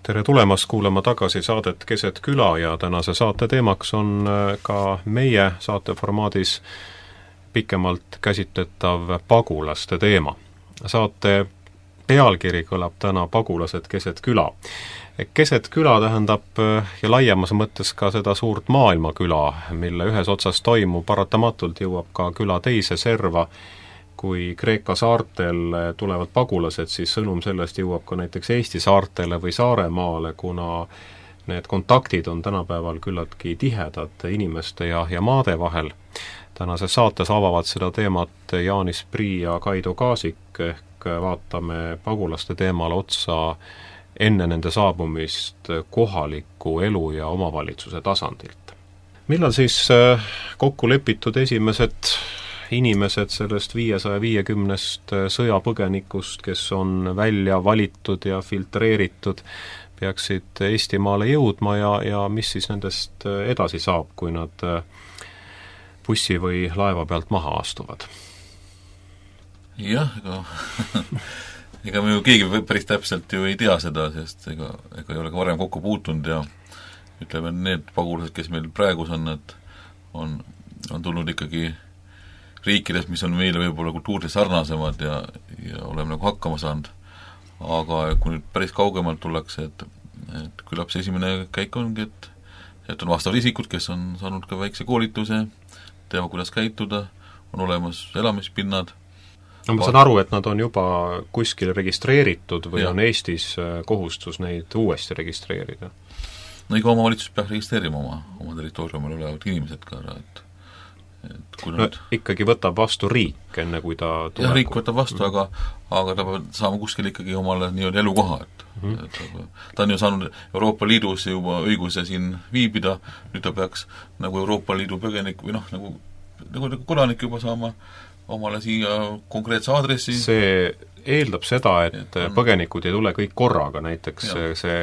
Tere tulemast kuulama tagasi saadet Keset küla ja tänase saate teemaks on ka meie saateformaadis pikemalt käsitletav pagulaste teema. Saate pealkiri kõlab täna Pagulased keset küla. Keset küla tähendab ja laiemas mõttes ka seda suurt maailmaküla, mille ühes otsas toimu paratamatult jõuab ka küla teise serva, kui Kreeka saartel tulevad pagulased, siis sõnum sellest jõuab ka näiteks Eesti saartele või Saaremaale, kuna need kontaktid on tänapäeval küllaltki tihedad inimeste ja maade vahel. Tänases saates avavad seda teemat Jaanis Prii ja Kaido Kaasik, ehk vaatame pagulaste teemale otsa enne nende saabumist kohaliku elu ja omavalitsuse tasandilt. Millal siis kokku lepitud esimesed inimesed sellest 550 sõjapõgenikust, kes on välja valitud ja filtreeritud, peaksid Eestimaale jõudma ja mis siis nendest edasi saab, kui nad bussi või laeva pealt maha astuvad? Jah, ega me ju keegi päris täpselt ju ei tea seda, sest ega ei ole ka varem kokku puutunud ja ütleme, need pagulased, kes meil praegus on, et on tulnud ikkagi riikides, mis on meile võib-olla kultuuriliselt sarnasemad ja oleme nagu hakkama saanud. Aga kui nüüd päris kaugemalt tullakse, et küllap see esimene käik ongi, et on vastavad isikud, kes on saanud ka väikse koolituse, teavad, kuidas käituda, on olemas elamispinnad. No ma saan aru, et nad on juba kuskil registreeritud või on Eestis kohustus neid uuesti registreerida? No iga omavalitsus peaks registreerima oma territooriumil olevad inimesed ka ära, et kui nad... ikkagi võtab vastu riik, enne kui ta tuleb. Jah, riik võtab vastu, aga ta peab saama kuskil ikkagi omale nii-öelda elukoha, et ta on ju saanud Euroopa Liidus juba õiguse siin viibida, nüüd ta peaks nagu Euroopa Liidu põgenik või nagu kodanik juba saama omale siia konkreetse aadressi. See eeldab seda, et põgenikud ei tule kõik korraga, näiteks see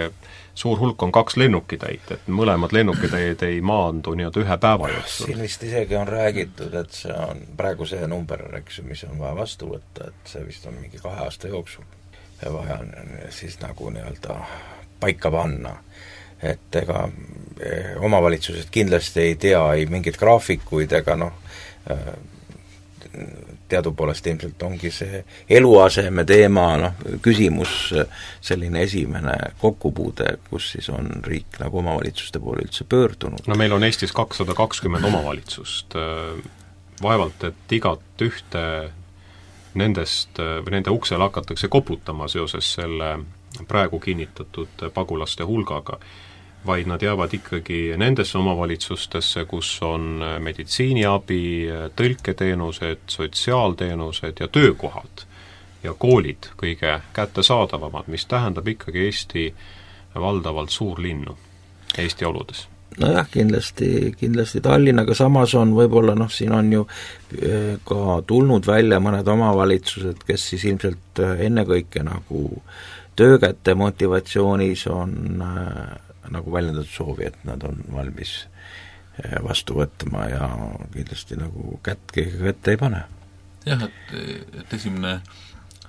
suur hulk on 2 lennukitäit, et mõlemad lennukitäid ei maandu nii-öelda ühe päeva jooksul. Siin vist isegi on räägitud, et see on praegu see number, mis on vaja vastu võtta, et see vist on mingi 2 aasta jooksul vaja siis nagu nii-öelda paika panna. Et ega omavalitsused kindlasti ei tea ei mingit graafikuid ega teadupoolest ilmselt ongi see eluaseme teema, küsimus selline esimene kokkupuude, kus siis on riik nagu omavalitsuste poole üldse pöördunud. No meil on Eestis 220 omavalitsust. Vaevalt, et igat ühte nendest või nende uksel hakatakse koputama seoses selle praegu kinnitatud pagulaste hulgaga, vaid nad jäävad ikkagi nendesse omavalitsustesse, kus on meditsiiniabi, tõlketeenused, sotsiaalteenused ja töökohad ja koolid kõige kättesaadavamad, mis tähendab ikkagi Eesti valdavalt suurlinnu Eesti oludes. Nojah, kindlasti Tallinnaga samas on võib-olla, siin on ju ka tulnud välja mõned omavalitsused, kes siis ilmselt ennekõike nagu töökäte motivatsioonis on nagu väljendatud soovi, et nad on valmis vastu võtma ja kindlasti nagu kätte ei pane. Jah, et esimene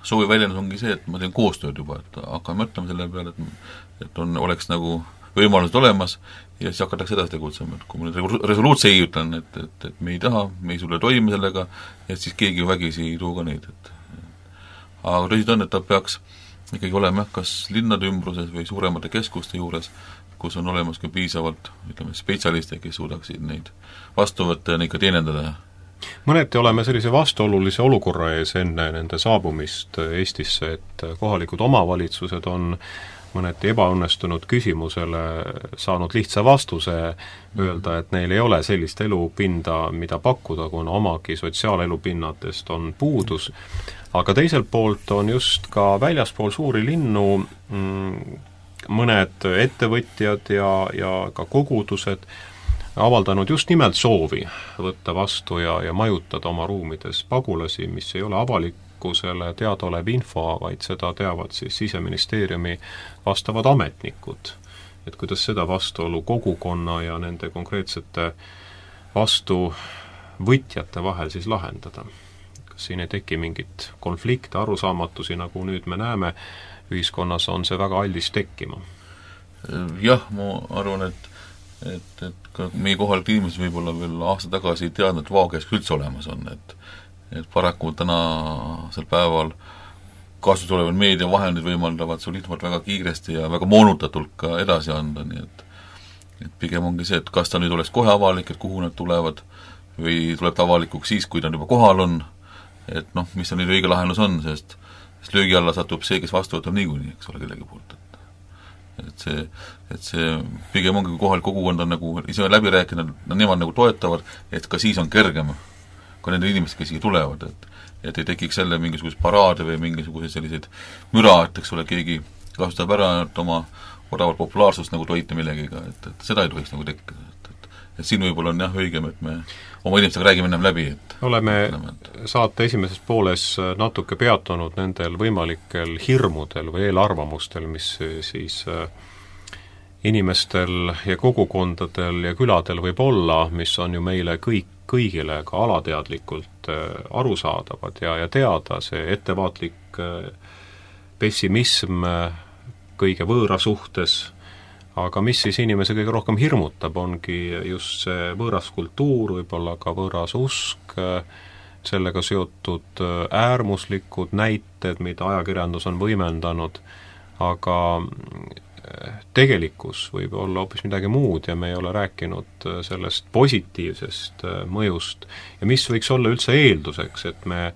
soovi väljendus ongi see, et ma teen koostööd juba, et hakkame mõtlema selle peale, et oleks nagu võimalused olemas ja siis hakatakse edasi tegutsema, et kui ma nüüd resoluutse ei ütlen, et me ei taha, me ei sulle toime sellega, et siis keegi ju vägisi ei too ka neid, aga tõsid on, et ta peaks ikkagi olema kas linnade ümbruses või suuremate keskuste juures, kus on olemas ka piisavalt, spetsialiste, kes suudaksid neid vastu võtta ja neid ka teenendada. Mõneti oleme sellise vastuolulise olukorra ees enne nende saabumist Eestisse, et kohalikud omavalitsused on mõneti ebaõnnestunud küsimusele saanud lihtsa vastuse öelda, et neil ei ole sellist elupinda, mida pakkuda, kuna omagi sotsiaalelupinnadest on puudus. Aga teiselt poolt on just ka väljaspool suuri linnu mõned ettevõtjad ja ka kogudused avaldanud just nimelt soovi võtta vastu ja majutada oma ruumides pagulasi, mis ei ole avalikkusele teadaolev info, vaid seda teavad siis Siseministeeriumi vastavad ametnikud. Et kuidas seda vastuolu kogukonna ja nende konkreetsete vastuvõtjate vahel siis lahendada. Kas siin ei teki mingit konflikte, arusaamatusi, nagu nüüd me näeme, ühiskonnas on see väga aldis tekkima? Jah, ma arvan, et ka meie kohalik inimesed võib-olla veel aasta tagasi ei teadnud, et vaages üldse olemas on, et paraku tänasel päeval kasutusel olevad meediavahendid võimaldavad sul infot väga kiiresti ja väga moonutatult ka edasi anda, nii et pigem ongi see, et kas ta nüüd oleks kohe avalik, et kuhu nad tulevad, või tuleb ta avalikuks siis, kui ta juba kohal on, et noh, mis on nüüd õige lahendus on, sest löögi alla satub see, kes vastu võtab niikuinii, eks ole, kellegi poolt, et see pigem ongi kohalik kogukond on nagu ise läbi rääkinud, nemad nagu toetavad, et ka siis on kergem, kui nende inimesed, kes siia tulevad, et ei tekiks jälle mingisugust paraade või mingisuguseid selliseid müra, et eks ole, keegi kasutab ära oma odavat populaarsust nagu toita millegiga, et seda ei tohiks nagu tekkida, et siin võib-olla on jah õigem, et me oma inimestega räägime ennem läbi, et oleme saate esimeses pooles natuke peatunud nendel võimalikel hirmudel või eelarvamustel, mis siis inimestel ja kogukondadel ja küladel võib olla, mis on ju meile kõigile ka alateadlikult arusaadavad ja teada, see ettevaatlik pessimism kõige võõra suhtes, aga mis siis inimese kõige rohkem hirmutab, ongi just see võõras kultuur, võib-olla ka võõras usk, sellega seotud äärmuslikud näited, mida ajakirjandus on võimendanud, aga tegelikkus võib olla hoopis midagi muud ja me ei ole rääkinud sellest positiivsest mõjust ja mis võiks olla üldse eelduseks, et me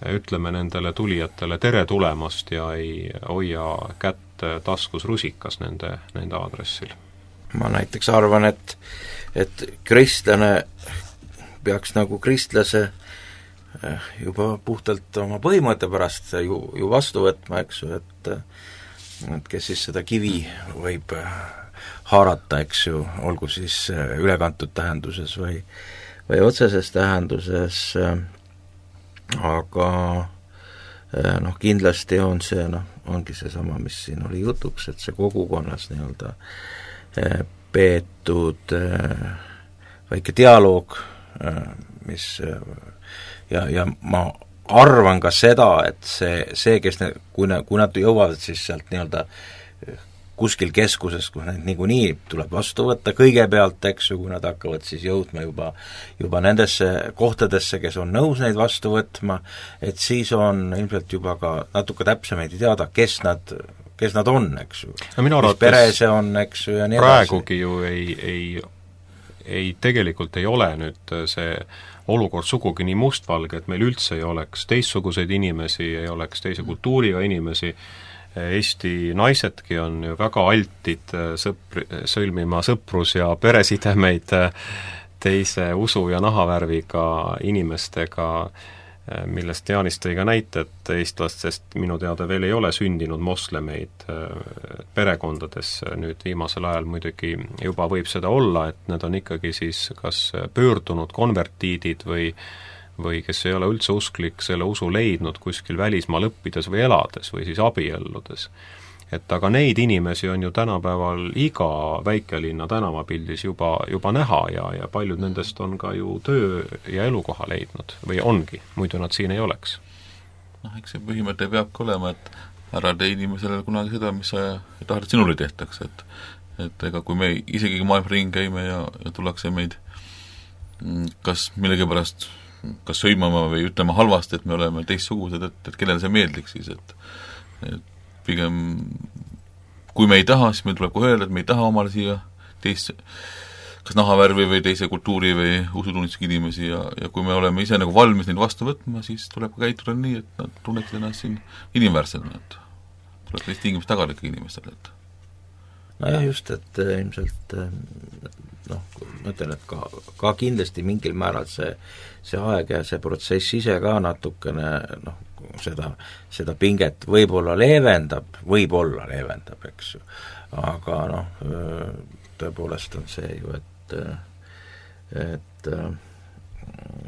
ütleme nendele tulijatele tere tulemast ja ei hoia kätt taskus rusikas nende aadressil. Ma näiteks arvan, et kristlane peaks nagu kristlase juba puhtalt oma põhimõtte pärast ju vastu võtma, eks ju, et kes siis seda kivi võib haarata, eks ju, olgu siis ülekantud tähenduses või otseses tähenduses, aga noh, kindlasti on see, ongi seesama, mis siin oli jutuks, et see kogukonnas nii-öelda peetud väike dialoog, mis ja ma arvan ka seda, et see kes kui nad jõuavad siis sealt nii-öelda kuskil keskuses, kus neid niikuinii tuleb vastu võtta kõigepealt, eks ju, kui nad hakkavad siis jõudma juba nendesse kohtadesse, kes on nõus neid vastu võtma, et siis on ilmselt juba ka natuke täpsemaid teada, kes nad on, eks ju. No mis pere see on, eks ju, ja nii praegugi ju ei tegelikult ei ole nüüd see olukord sugugi nii mustvalge, et meil üldse ei oleks teistsuguseid inimesi, ei oleks teise kultuuriga inimesi. Eesti naisedki on ju väga altid sõlmima sõprus- ja peresidemeid teise usu ja nahavärviga inimestega, millest Jaanis tõi ka näite, et eestlastest minu teada veel ei ole sündinud moslemeid perekondades, nüüd viimasel ajal muidugi juba võib seda olla, et need on ikkagi siis kas pöördunud konvertiidid või kes ei ole üldse usklik, selle usu leidnud kuskil välismaal õppides või elades või siis abielludes. Et aga neid inimesi on ju tänapäeval iga väikelinna tänavapildis juba näha ja paljud nendest on ka ju töö ja elukoha leidnud või ongi, muidu nad siin ei oleks. Noh, eks see põhimõte peabki olema, et ära tee inimesele kunagi seda, mis sa tahad, et sinule tehtaks, et ega kui me isegi maailma ring käime ja tullakse meid kas millegipärast kas sõimama või ütlema halvasti, et me oleme teistsugused, et kellele see meeldiks siis, et pigem kui me ei taha, siis meil tuleb kohe öelda, et me ei taha omale siia kas nahavärvi või teise kultuuri või usutunnistusega inimesi ja kui me oleme ise nagu valmis neid vastu võtma, siis tuleb ka käituda nii, et nad tunneksid ennast siin inimväärsena, et tuleb teist tingimus tagada ikka inimestele, et nojah, just, et ilmselt ma ütlen, et ka kindlasti mingil määral see aeg ja see protsess ise ka natukene seda pinget võib-olla leevendab, eks ju, aga tõepoolest on see ju, et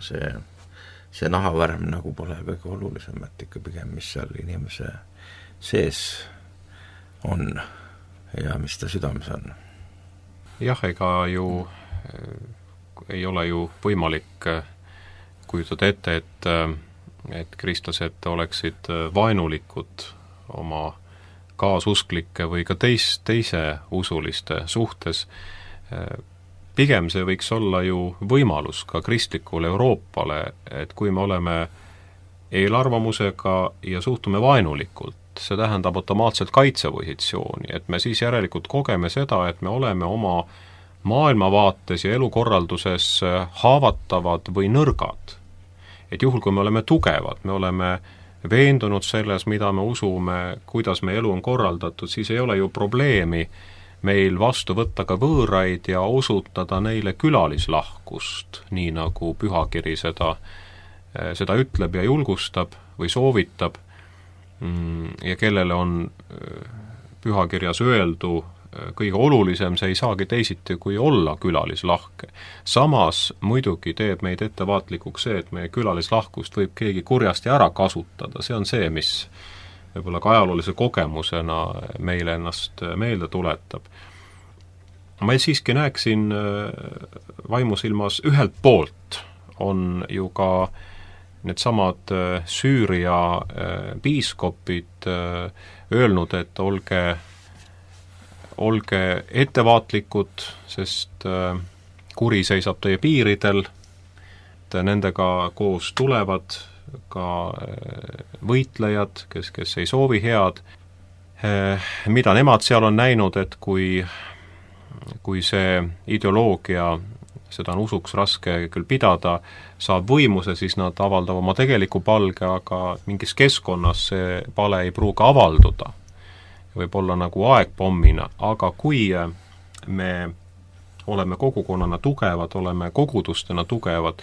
see nahavärv nagu pole kõige olulisem, et ikka pigem, mis seal inimese sees on ja mis ta südames on. Jah, ega ju ei ole ju võimalik kujutada ette, et kristlased oleksid vaenulikud oma kaasusklike või ka teise usuliste suhtes. Pigem see võiks olla ju võimalus ka kristlikule Euroopale, et kui me oleme eelarvamusega ja suhtume vaenulikult, see tähendab automaatselt kaitsepositsiooni, et me siis järelikult kogeme seda, et me oleme oma maailmavaates ja elukorralduses haavatavad või nõrgad. et juhul, kui me oleme tugevad, me oleme veendunud selles, mida me usume, kuidas meie elu on korraldatud, siis ei ole ju probleemi meil vastu võtta ka võõraid ja osutada neile külalislahkust, nii nagu pühakiri seda ütleb ja julgustab või soovitab ja kellele on pühakirjas öeldu kõige olulisem, see ei saagi teisiti kui olla külalislahke. Samas muidugi teeb meid ettevaatlikuks see, et meie külalislahkust võib keegi kurjasti ära kasutada, see on see, mis võib-olla ka ajaloolise kogemusena meile ennast meelde tuletab. Ma siiski näeksin vaimusilmas ühelt poolt on ju ka needsamad Süüria piiskopid öelnud, et olge ettevaatlikud, sest kuri seisab teie piiridel, et nendega koos tulevad ka võitlejad, kes ei soovi head, mida nemad seal on näinud, et kui see ideoloogia, seda on usuks raske küll pidada, saab võimuse, siis nad avaldavad oma tegeliku palge, aga mingis keskkonnas see pale ei pruugi avalduda. Võib olla nagu aegpommina, aga kui me oleme kogukonnana tugevad, oleme kogudustena tugevad,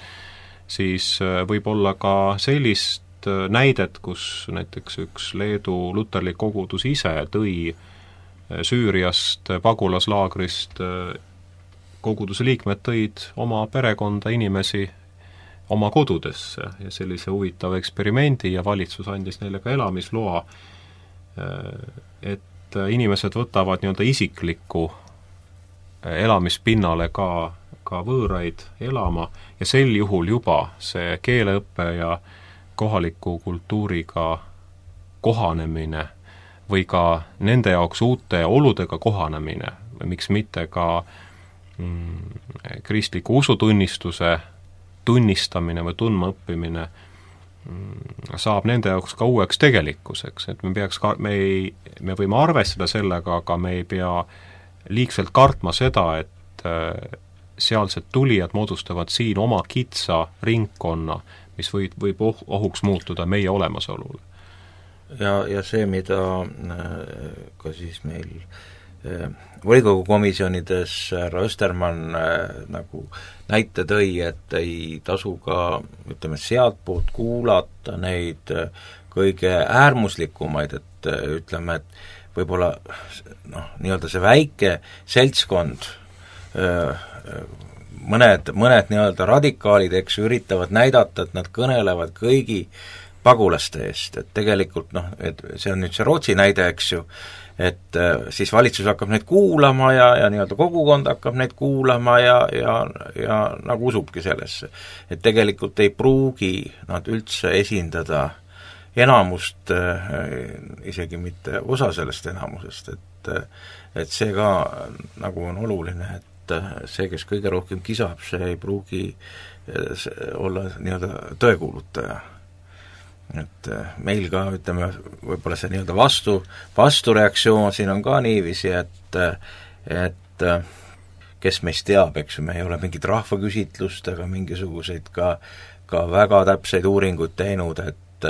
siis võib olla ka sellist näidet, kus näiteks üks Leedu luterlik kogudus ise tõi Süüriast pagulaslaagrist, koguduse liikmed tõid oma perekonda inimesi oma kodudesse ja sellise huvitava eksperimendi ja valitsus andis neile ka elamisloa, et inimesed võtavad nii-öelda isiklikku elamispinnale ka võõraid elama ja sel juhul juba see keeleõppe ja kohaliku kultuuriga kohanemine või ka nende jaoks uute oludega kohanemine või miks mitte ka kristliku usutunnistuse tunnistamine või tundmaõppimine saab nende jaoks ka uueks tegelikkuseks, et me võime arvestada sellega, aga me ei pea liigselt kartma seda, et sealsed tulijad moodustavad siin oma kitsa ringkonna, mis võib ohuks muutuda meie olemasolule. Ja see, mida ka siis meil volikogu komisjonides härra Östermann nagu näite tõi, et ei tasu ka, ütleme, sealtpoolt kuulata neid kõige äärmuslikumaid, et ütleme, et võib-olla nii-öelda see väike seltskond, mõned nii-öelda radikaalid, eks, üritavad näidata, et nad kõnelevad kõigi pagulaste eest, et tegelikult et see on nüüd see Rootsi näide, eks ju, et siis valitsus hakkab neid kuulama ja nii-öelda kogukond hakkab neid kuulama ja nagu usubki sellesse. Et tegelikult ei pruugi nad üldse esindada enamust, isegi mitte osa sellest enamusest, et see ka nagu on oluline, et see, kes kõige rohkem kisab, see ei pruugi olla nii-öelda tõekuulutaja. Et meil ka, ütleme, võib-olla see nii-öelda vastureaktsioon siin on ka niiviisi, et kes meist teab, eks ju, me ei ole mingit rahvaküsitlust ega mingisuguseid ka väga täpseid uuringuid teinud, et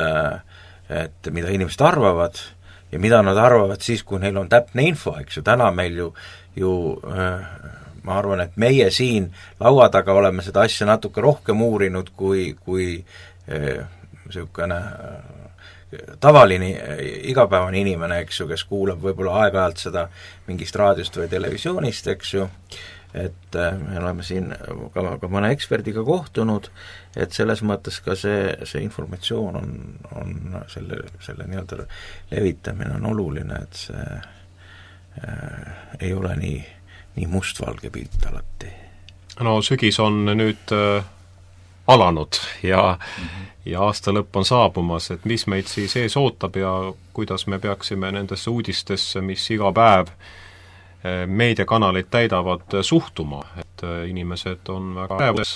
mida inimesed arvavad ja mida nad arvavad siis, kui neil on täpne info, eks ju, täna meil ju ma arvan, et meie siin laua taga oleme seda asja natuke rohkem uurinud kui niisugune tavaline igapäevane inimene, eks ju, kes kuulab võib-olla aeg-ajalt seda mingist raadiost või televisioonist, eks ju, et me oleme siin ka mõne eksperdiga kohtunud, et selles mõttes ka see informatsioon on selle nii-öelda levitamine on oluline, et see ei ole nii mustvalge pilt alati. No sügis on nüüd alanud ja aasta lõpp on saabumas, et mis meid siis ees ootab ja kuidas me peaksime nendesse uudistesse, mis iga päev meediakanaleid täidavad, suhtuma, et inimesed on väga päevus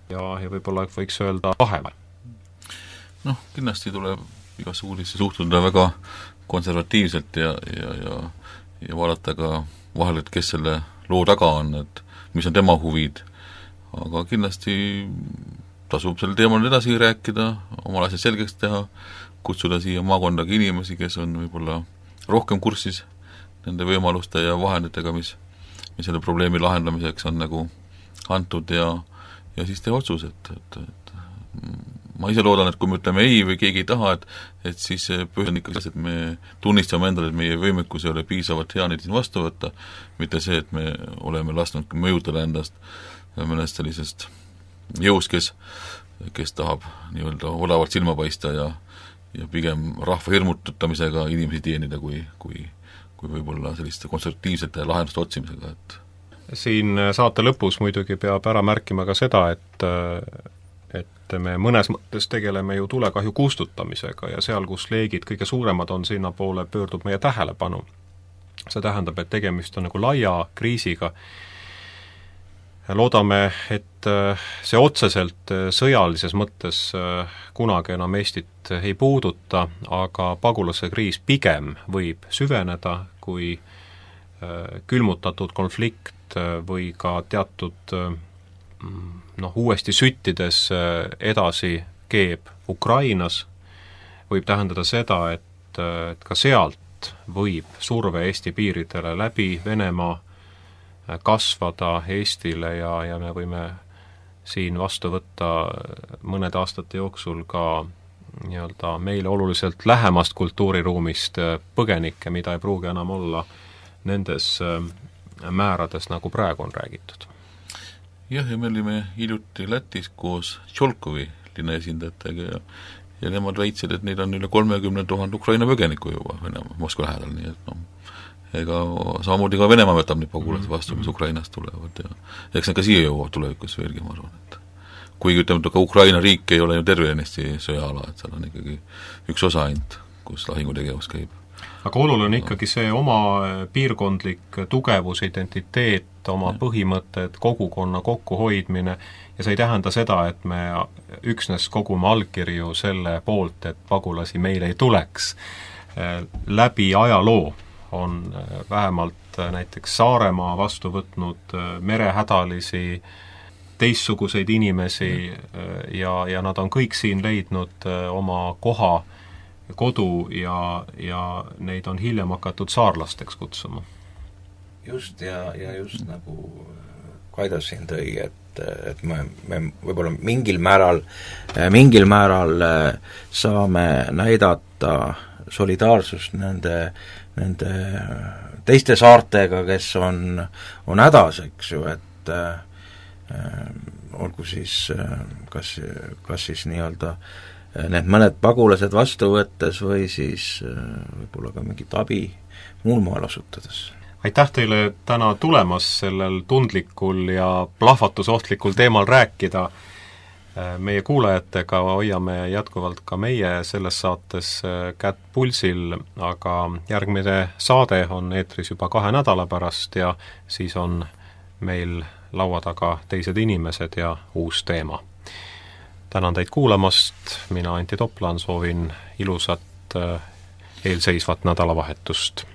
ja võib-olla võiks öelda vaheval. Kindlasti tuleb igasse uudisse suhtuda väga konservatiivselt ja vaadata ka vahel, et kes selle loo taga on, et mis on tema huvid, aga kindlasti tasub sel teemal edasi rääkida, omal asjad selgeks teha, kutsuda siia maakondagi inimesi, kes on võib-olla rohkem kursis nende võimaluste ja vahenditega, mis selle probleemi lahendamiseks on nagu antud ja siis teha otsus, et ma ise loodan, et kui me ütleme ei või keegi ei taha, et siis põhjus on ikka selles, et me tunnistame endale, et meie võimekus ei ole piisavalt hea neid siin vastu võtta, mitte see, et me oleme lasknud mõjutada endast mõnest sellisest jõust, kes tahab nii-öelda odavalt silma paista ja pigem rahva hirmututamisega inimesi teenida, kui võib-olla selliste konstruktiivsete lahenduste otsimisega, et siin saate lõpus muidugi peab ära märkima ka seda, et me mõnes mõttes tegeleme ju tulekahju kustutamisega ja seal, kus leegid kõige suuremad on, sinna poole pöördub meie tähelepanu. See tähendab, et tegemist on nagu laia kriisiga. Loodame, et see otseselt sõjalises mõttes kunagi enam Eestit ei puuduta, aga pagulase kriis pigem võib süveneda, kui külmutatud konflikt või ka teatud uuesti süttides edasi keeb Ukrainas, võib tähendada seda, et ka sealt võib surve Eesti piiridele läbi Venemaa kasvada Eestile ja me võime siin vastu võtta mõnede aastate jooksul ka nii-öelda meile oluliselt lähemast kultuuriruumist põgenikke, mida ei pruugi enam olla nendes määrades, nagu praegu on räägitud. Jah, ja me olime hiljuti Lätis koos Tšolkovi linna esindajatega ja nemad väitsid, et neid on üle 30 000 Ukraina põgenikku juba Moskva lähedal, nii et ega samamoodi ka Venemaa võtab neid pagulasi vastu, mis Ukrainast tulevad ja eks need ka siia jõuavad tulevikus veelgi, ma arvan, et kuigi ütleme, ka Ukraina riik ei ole ju tervenisti sõjaala, et seal on ikkagi üks osa ainult, kus lahingutegevus käib. Aga oluline ikkagi see oma piirkondlik tugevus, identiteet, oma põhimõtted, kogukonna kokkuhoidmine ja see ei tähenda seda, et me üksnes kogume allkirju selle poolt, et pagulasi meile ei tuleks. Läbi ajaloo on vähemalt näiteks Saaremaa vastu võtnud merehädalisi, teistsuguseid inimesi ja nad on kõik siin leidnud oma koha, kodu ja neid on hiljem hakatud saarlasteks kutsuma. Just ja just nagu Kaido siin tõi, et me võib-olla mingil määral saame näidata solidaarsust nende teiste saartega, kes on hädas, eks ju, et olgu siis kas siis nii-öelda need mõned pagulased vastu võttes või siis võib-olla ka mingit abi muul moel asutades. Aitäh teile täna tulemas sellel tundlikul ja plahvatusohtlikul teemal rääkida. Meie kuulajatega hoiame jätkuvalt ka meie selles saates kätt pulsil, aga järgmine saade on eetris juba 2 nädala pärast ja siis on meil laua taga teised inimesed ja uus teema. Tänan teid kuulamast, mina Antti Toplan soovin ilusat eelseisvat nädalavahetust.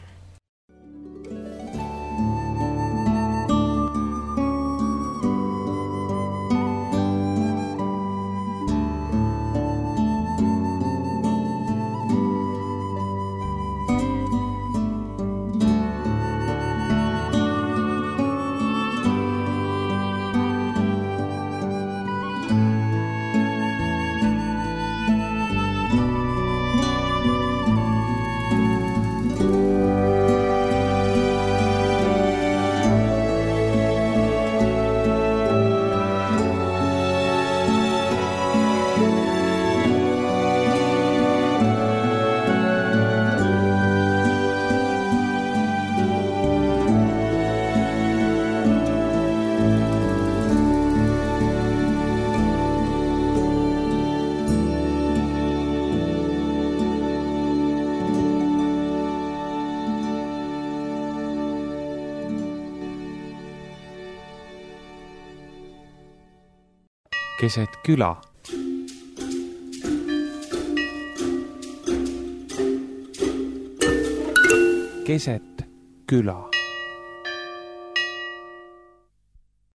Keset küla. Keset küla.